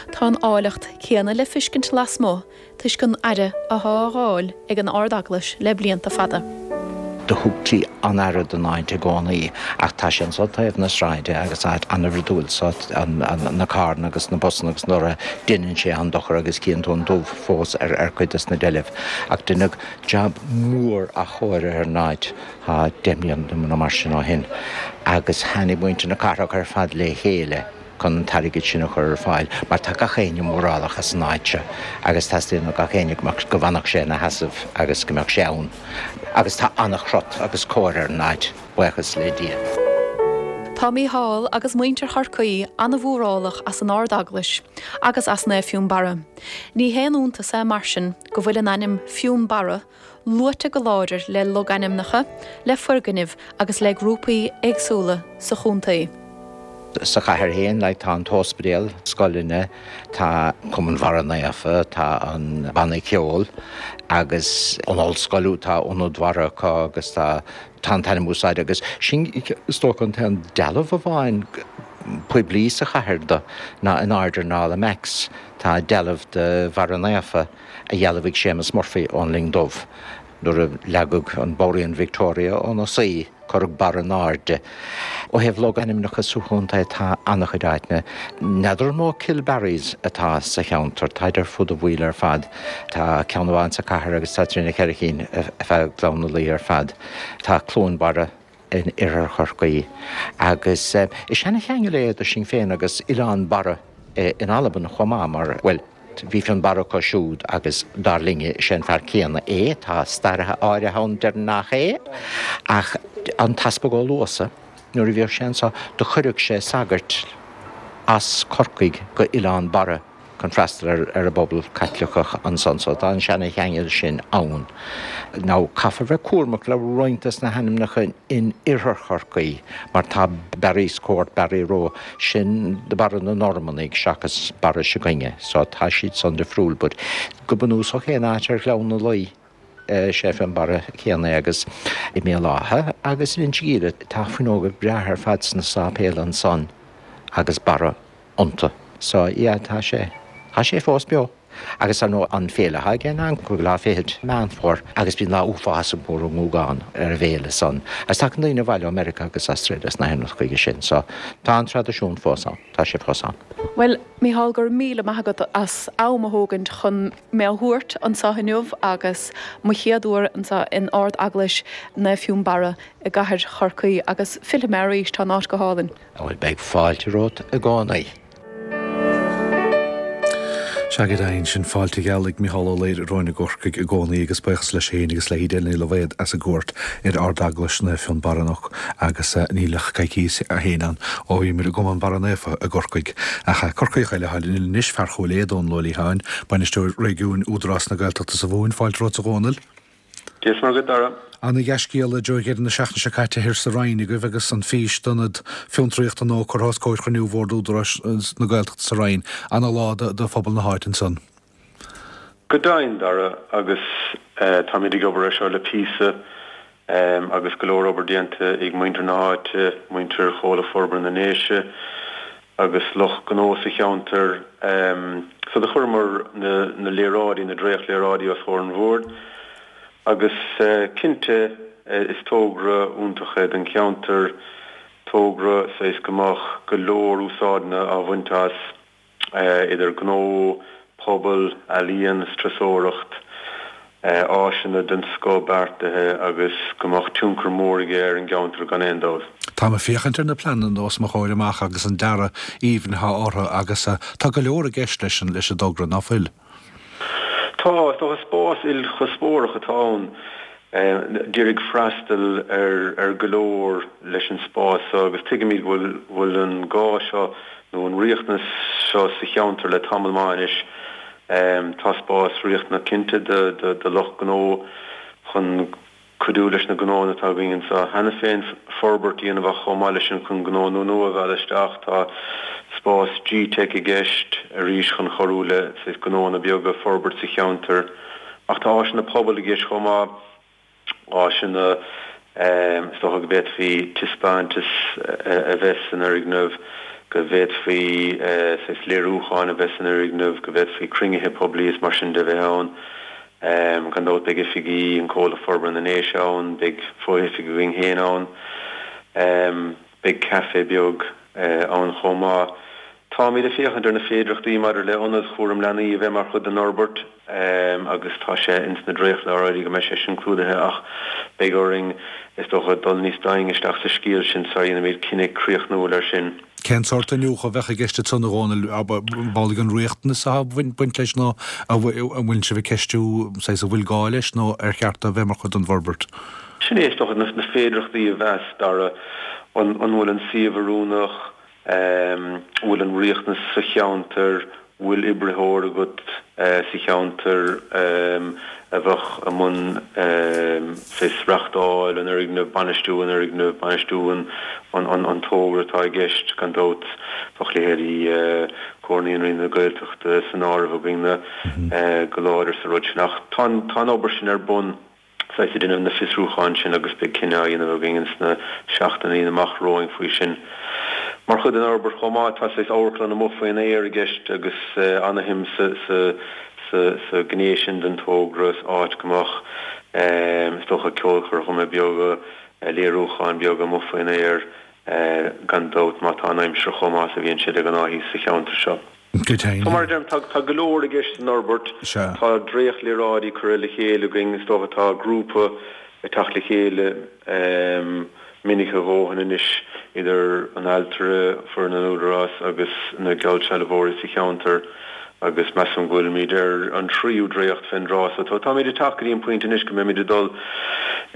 Tá an áilleacht céanna le fiscint lasmuigh toisc an aire athá á fháil ag an Ard-Eaglais le blianta fada. Do thugtaí an-aire don áit i gcónaí ach tá sé anso taobh na sráide agus áit an-bhrúidiúil so na carranna agus na busanna agus na lorraithe deineann sé an-dochar agus cíonn tú an dubh fós ar cuid des na deilbh ach deineadh jab mór athchóirithe ar an áit tá 10 mbliana nó mar sin ó shin agus tháinig muintir na cathrach ar fad le chéile chun an t-airgead sin a chur ar fáil mar tá gach éinne mórálach as an áit seo agus teastaíonn ó gach éinne go mbeadh, go bhfanfadh sé ina sheasamh agus go mbeadh sé ann agus tá an-chrot agus cóir ar an áit, buíochas le Dia. Tá Mícheál agus muintir Chorcaí an-mhórálach as an Ard-Eaglais agus as Naomh Fionnbarra. Ní haon iontas é mar sin go bhfuil an ainm Fionnbarra luaite go láidir le logainmneacha, le foirgnimh agus le grúpaí éagsúla sa chontae. Sa chathair féin, like, tá an t-ospidéal, scoileanna, tá Cumann Bharra Naofa, tá an banna ceoil agus an ollscoil, tá Ionad Bharra acu agus tá tá an t-ainm úsáidte agus sin is dócha an t-aon dealbh amháin poiblí sa chathair do ná in airde ar an Almacs tá dealbh de Bharra Naofa. a dhealbhaigh Séamus Murphy ón Linn Dubh. Nuair a leagadh an Borean Victoria óna suí, cuireadh Barra in airde. Ó thaobh logainmneacha sa chontae tá an-chuid áiteanna. N'fheadar an mó Kilbarrys atá sa cheantar, táid ar fud an bhaill ar fad. Tá ceann amháin sa chathair agus tá trí nó cheithre chinn ar feadh Ghleann na Laoi ar fad. Tá Cluain Barra in oirthear Chorcaí agus is seana-cheangal é idir sinn féin agus Oileán Barra in Albain chomh maith mar, bhuel, bhí Fionnbarra acu siúd agus dar linne is é an fear céanna é, tá staraithe áirithe ann a deireann nach é, ach an tEaspag Ó Luasa, nuair a bhíodh sé anseo, do chuireadh sé sagairt as Corcaigh go Oileán Barra. chun freastal ar an bpobal Caitliceach ansan so tá an seana-cheangal sin ann. Now caithfear bheith cúramach le roinnt des na hainmneacha in oirthear Chorcaí mar tá Barry's Court, Barry Row, sin Barra na Normannaigh seachas Barra s'againne so tá siad san difriúil but go bunúsach aon áit ar Ghleann na Laoi is é Fionnbarra céanna é agus i mBéal Átha agus in Inse Guíre tá fuinneoga breátha ar fad sna sáipéil ansan agus Barra iontu. So, yeah, tá sé, tá sé fós beo. Agus ar ndóigh an féile atá aige ná an cúigiú lá fichead Meán Fómhair agus bíonn lá uafásach mór i nGúgán ar an bhféile san. Agus tagann daoine abhaile ó Meiriceá agus Australia is na hEireann chuige sin. So, tá an traidisiún fós ann, tá sé fós ann. Bhuel, Mícheál, go raibh míle maith agat as am a thógaint chun mé a thabhairt anseo inniu agus mo chéad uair anseo in Ard-Eaglais Naomh Fionnbarra i gcathair Chorcaí agus fillfidh mé arís, tá an áit go hálainn. Bhuel, beidh fáilte romhat i gcónaí. Sea, go deimhin, sin fáilte gheal ag Micheál Ó Laoire romhainn i gCorcaigh i gcónaí agus buíochas leis féin agus le hEdel Ní Loibhéad as a gcuairt ar Ard-Eaglais Naomh Fionnbarra anocht agus níl ach coicís ó shin ann ó bhíomar i gCumann Barra Naofa i gCorcaigh. Ach Corcaíoch eile atá linn anois, fear Chúil Aodha, Dónal Ó Liatháin, Bainisteoir Réigiúin Údarás na Gaeltachta sa Mhumhain. Fáilte romhat a Dhónaill. Dia is Muire dhuit, Dara. Ana-dhea-scéala i dtreo dheireadh na seachtaine seo caite thoir sa Rinn agaibh agus an fís d'ionad fiontraíochta nua curtha os comhair chruinniú Bhord Údarás na Gaeltachta sa Rinn. Ana-lá do phobal na háite ansan. Go deimhin, Dara, agus táimid ag obair air seo le píosa agus go leor obair déanta ag muintir na háite, muintir Chomhlacht Forbartha na nDéise agus lucht gnó sa cheantar. So do chuireamar na léaráidí, na dréacht-léaráidí os comhair an bhoird agus cinnte is togra iontach é don cheantar, togra saghas go mbeadh go leor úsáideanna á bhaint as. idir gnó, pobal, ealaíon is turasóireacht, áiseanna den scoth beartaithe agus go mbeadh tionchar mór aige ar an gceantar gan aon dabht. Táim ag féachaint ar na pleananna os mo chomhair amach agus an dearadh aoibhinn atá orthu agus tá go leor i gceist leis an leis an dtogra, ná fuil? Tá, is dócha spás ilchuspóireach atá ann. D'iarraidh freastal ar go leor leis an spás seo agus tuigimid go bhfuil an gá seo nó an riachtanas seo sa cheantar le tamall maith anois. Tá spás riachtanach cinnte do lucht gnó chun cuidiú leis na gnóanna atá againn anseo cheana féin forbairt a dhéanamh ach chomh maith leis sin chun gnónna nua a mhealladh isteach. Tá spás G-Tech i gceist arís chun cabhrú le gnóanna beaga forbairt sa cheantar. Ach tá áiseanna pobail i gceist chomh maith, áiseanna. Is dócha go bhféadfaí taispeántas a bheith san fhoirgneamh, go bhféadfaí saghas léiriúcháin a bheith san fhoirgneamh, go bhféadfaí cruinnithe poiblí is mar sin de bheith ann. Gan dabht beidh oifigí an Comhlacht Forbartha na nDéise ann, beidh fo-oifig againn féin ann, beidh caife beag ann chomh maith. Táimid ag féachaint ar na féidearthachtaí maidir le ionad chúram leanaí a bheith mar chuid den fhorbairt agus tá sé ins na dréachtléaráidí go mbeidh sé sin clúdaithe ach beidh orainn, is dócha, dul níos doimhne isteach sa scéal sin sara dhéanfaimid cinneadh críochnúil air sin. Cén sórt iniúchadh a bheadh i gceist ansan, a Dhónaill? Ab amhlaidh an riachtanas atá ag baint leis nó an bhfuil sibh ag ceistiú saghas an bhfuil gá leis nó ar cheart do a bheith mar chuid den bhforbairt? Sin é, is dócha, na féidearthachtaí a mheas, Dara. An bhfuil an suíomh oiriúnach? An bhfuil an riachtanas sa cheantar? Bhfuil oibritheoir agat sa cheantar a bheadh i mbun saghas reachtáil an fhoirgnimh, bainistiú an fhoirgnimh, bainistiú an togra atá i gceist? Gan dabht, bheadh leithéidí Comhar Naíonraí na Gaeltachta san áireamh againn go láidir sa rud sin. Ach tá an obair sin ar bun. saghas ag déanamh na fiosrúcháin sin agus beidh cinneadh á dhéanamh againn ins na seachtainí amach romhainn faoi sin. Mar chuid den fhorbairt chomh maith tá saghas amharclann amuigh faoin aer i gceist agus ana-shuim sa sa sa sa gné sin den togra, áit go mbeadh is dócha ceolchoirmeacha beaga, léiriúcháin beaga amuigh faoin aer gan dabht má tá an aimsir chomh maith is a bhíonn sé de ghnáth thíos sa cheantar seo. Go deimhin. So mar a deirim, tá tá go leor i gceist san fhorbairt. Sea. Tá dréachtléaráidí curtha le chéile againn, is dócha tá grúpa ag teacht le chéile minic a dhóthain anois idir an ailtire, foireann an Údarás agus na geallsealbhóirí sa cheantar agus measaim go bhfuilimid ar an tríú dréacht fén dtráth so tá táimid ag teacht go dtí an pointe anois go mbeimid ag dul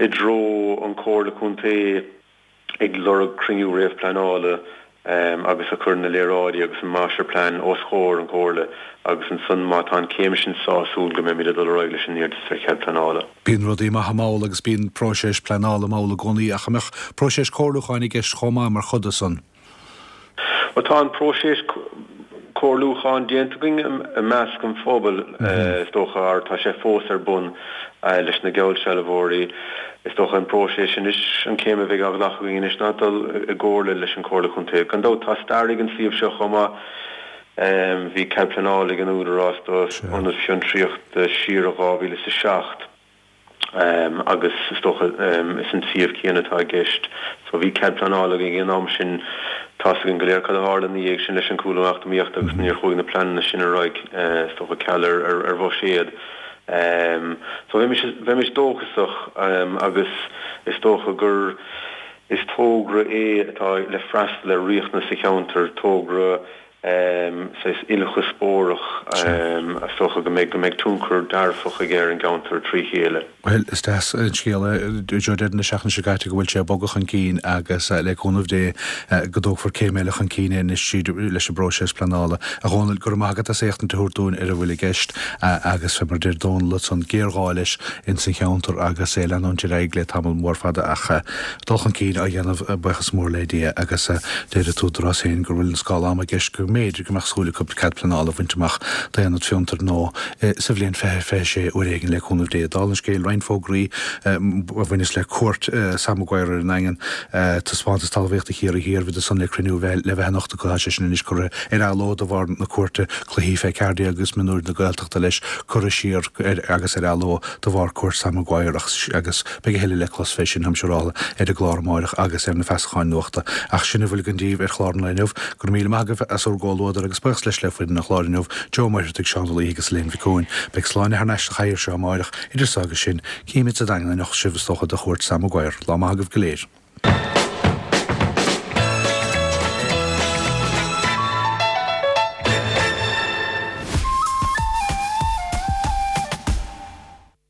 i dtreo an Comhairle Contae. ag lorg cruinniú réamhpleanála agus ag cur na léaráidí agus an máistirphlean os chomhair an Chomhairle agus ansan má tá an céim sin sásúil go mbeimid ag dul ar aghaidh leis an iarratas ar chead pleanála. Bíonn rudaí maithe mall agus bíonn próiseas pleanála mall i gcónaí ach an mbeadh próiseas comhairliúcháin i gceist chomh maith mar chuid de san? Bhuel, tá an próiseas comhairliúcháin déanta againn i measc an phobail, is dócha, or tá sé fós ar bun leis na geallsealbhóirí. Is dócha an próiseas anois, an céim a bheidh á ghlacadh againn anois ná dul i gcomhairle leis an Chomhairle Contae. Gan dabht, tá stair ag an suíomh seo chomh maith. Bhí cead pleanála ag an Údarás do ionad fiontraíochta siar i 2007. agus is dócha is an suíomh céanna atá i gceist. So bhí cead pleanála againn ag an am sin. Tá's againn go léir cad a tharla ina dhiaidh sin leis an cúlú eacnamaíochta agus níor chuaigh na pleananna sin ar aghaidh, is dócha ceal ar ar bhuiséad. So bheimis bheimis dóchasach agus is dócha gur is togra é atá le freastal ar riachtanas sa cheantar, togra saghas ilchuspóireach, is dócha go mbeidh, go mbeidh tionchar dearfach aige ar an gceantar trí chéile. Bhuel, is deas an scéal é, Joe, deireadh na seachtaine seo caite go bhfuil sé ag bogadh chun cinn agus le cúnamh Dé go dtógfar céim eile chun cinn é anois tríd leis an bpróiseas pleanála. A Dhónaill, go raibh maith agat as éachtaint a thabhairt dúinn ar a bhfuil i gceist agus fé mar a deir Dónal ansan, géarghá leis ins an cheantar agus é ag leanúint ar aghaidh le tamall mór fada ach dul chun cinn á dhéanamh, buíochas mór le Dia, agus deir an tÚdarás féin go bhfuil an scála ama i gceist go mb'fhéidir go mbeadh súil acu cead pleanála a bhaint amach d'aonad fiontair nó sa bhliain 2026 uair éigin le cúnamh Dé. Dála an scéil, roinnt fógraí a bhaineas le cuairt Sam Maguire ar an nDaingean, taispeántas talmhaíochta Chiarraí Thiar, bhí san le cruinniú bheith le bheith anocht acu, tá sé sin anois curtha ar athló de bharr na cuairte, cluichí fé 14 agus mionúir na Gaeltachta leis curtha siar agus ar athló de bharr cuairt Sam Maguire agus Beidh a thuilleadh le clos fé sin, táim siúráilte, ar an gclár amáireach agus ar na feasacháin nuachta. Ach sin a bhfuil againn daoibh ar chlár an lae inniu. Go raibh míle maith agaibh as bhur gcomhluadar agus buíochas leis le foireann an chláir inniu, Joe Ó Muircheartaigh, Seán Ó Laoithe agus Elaine Mhic Eoin. Beidh Sláine thar n-ais sa chathaoir seo amáireach. Idir so agus sin, cífimid sa Daingean anocht sibh is dócha do chuairt Sam Maguire. Lá maith agaibh go léir.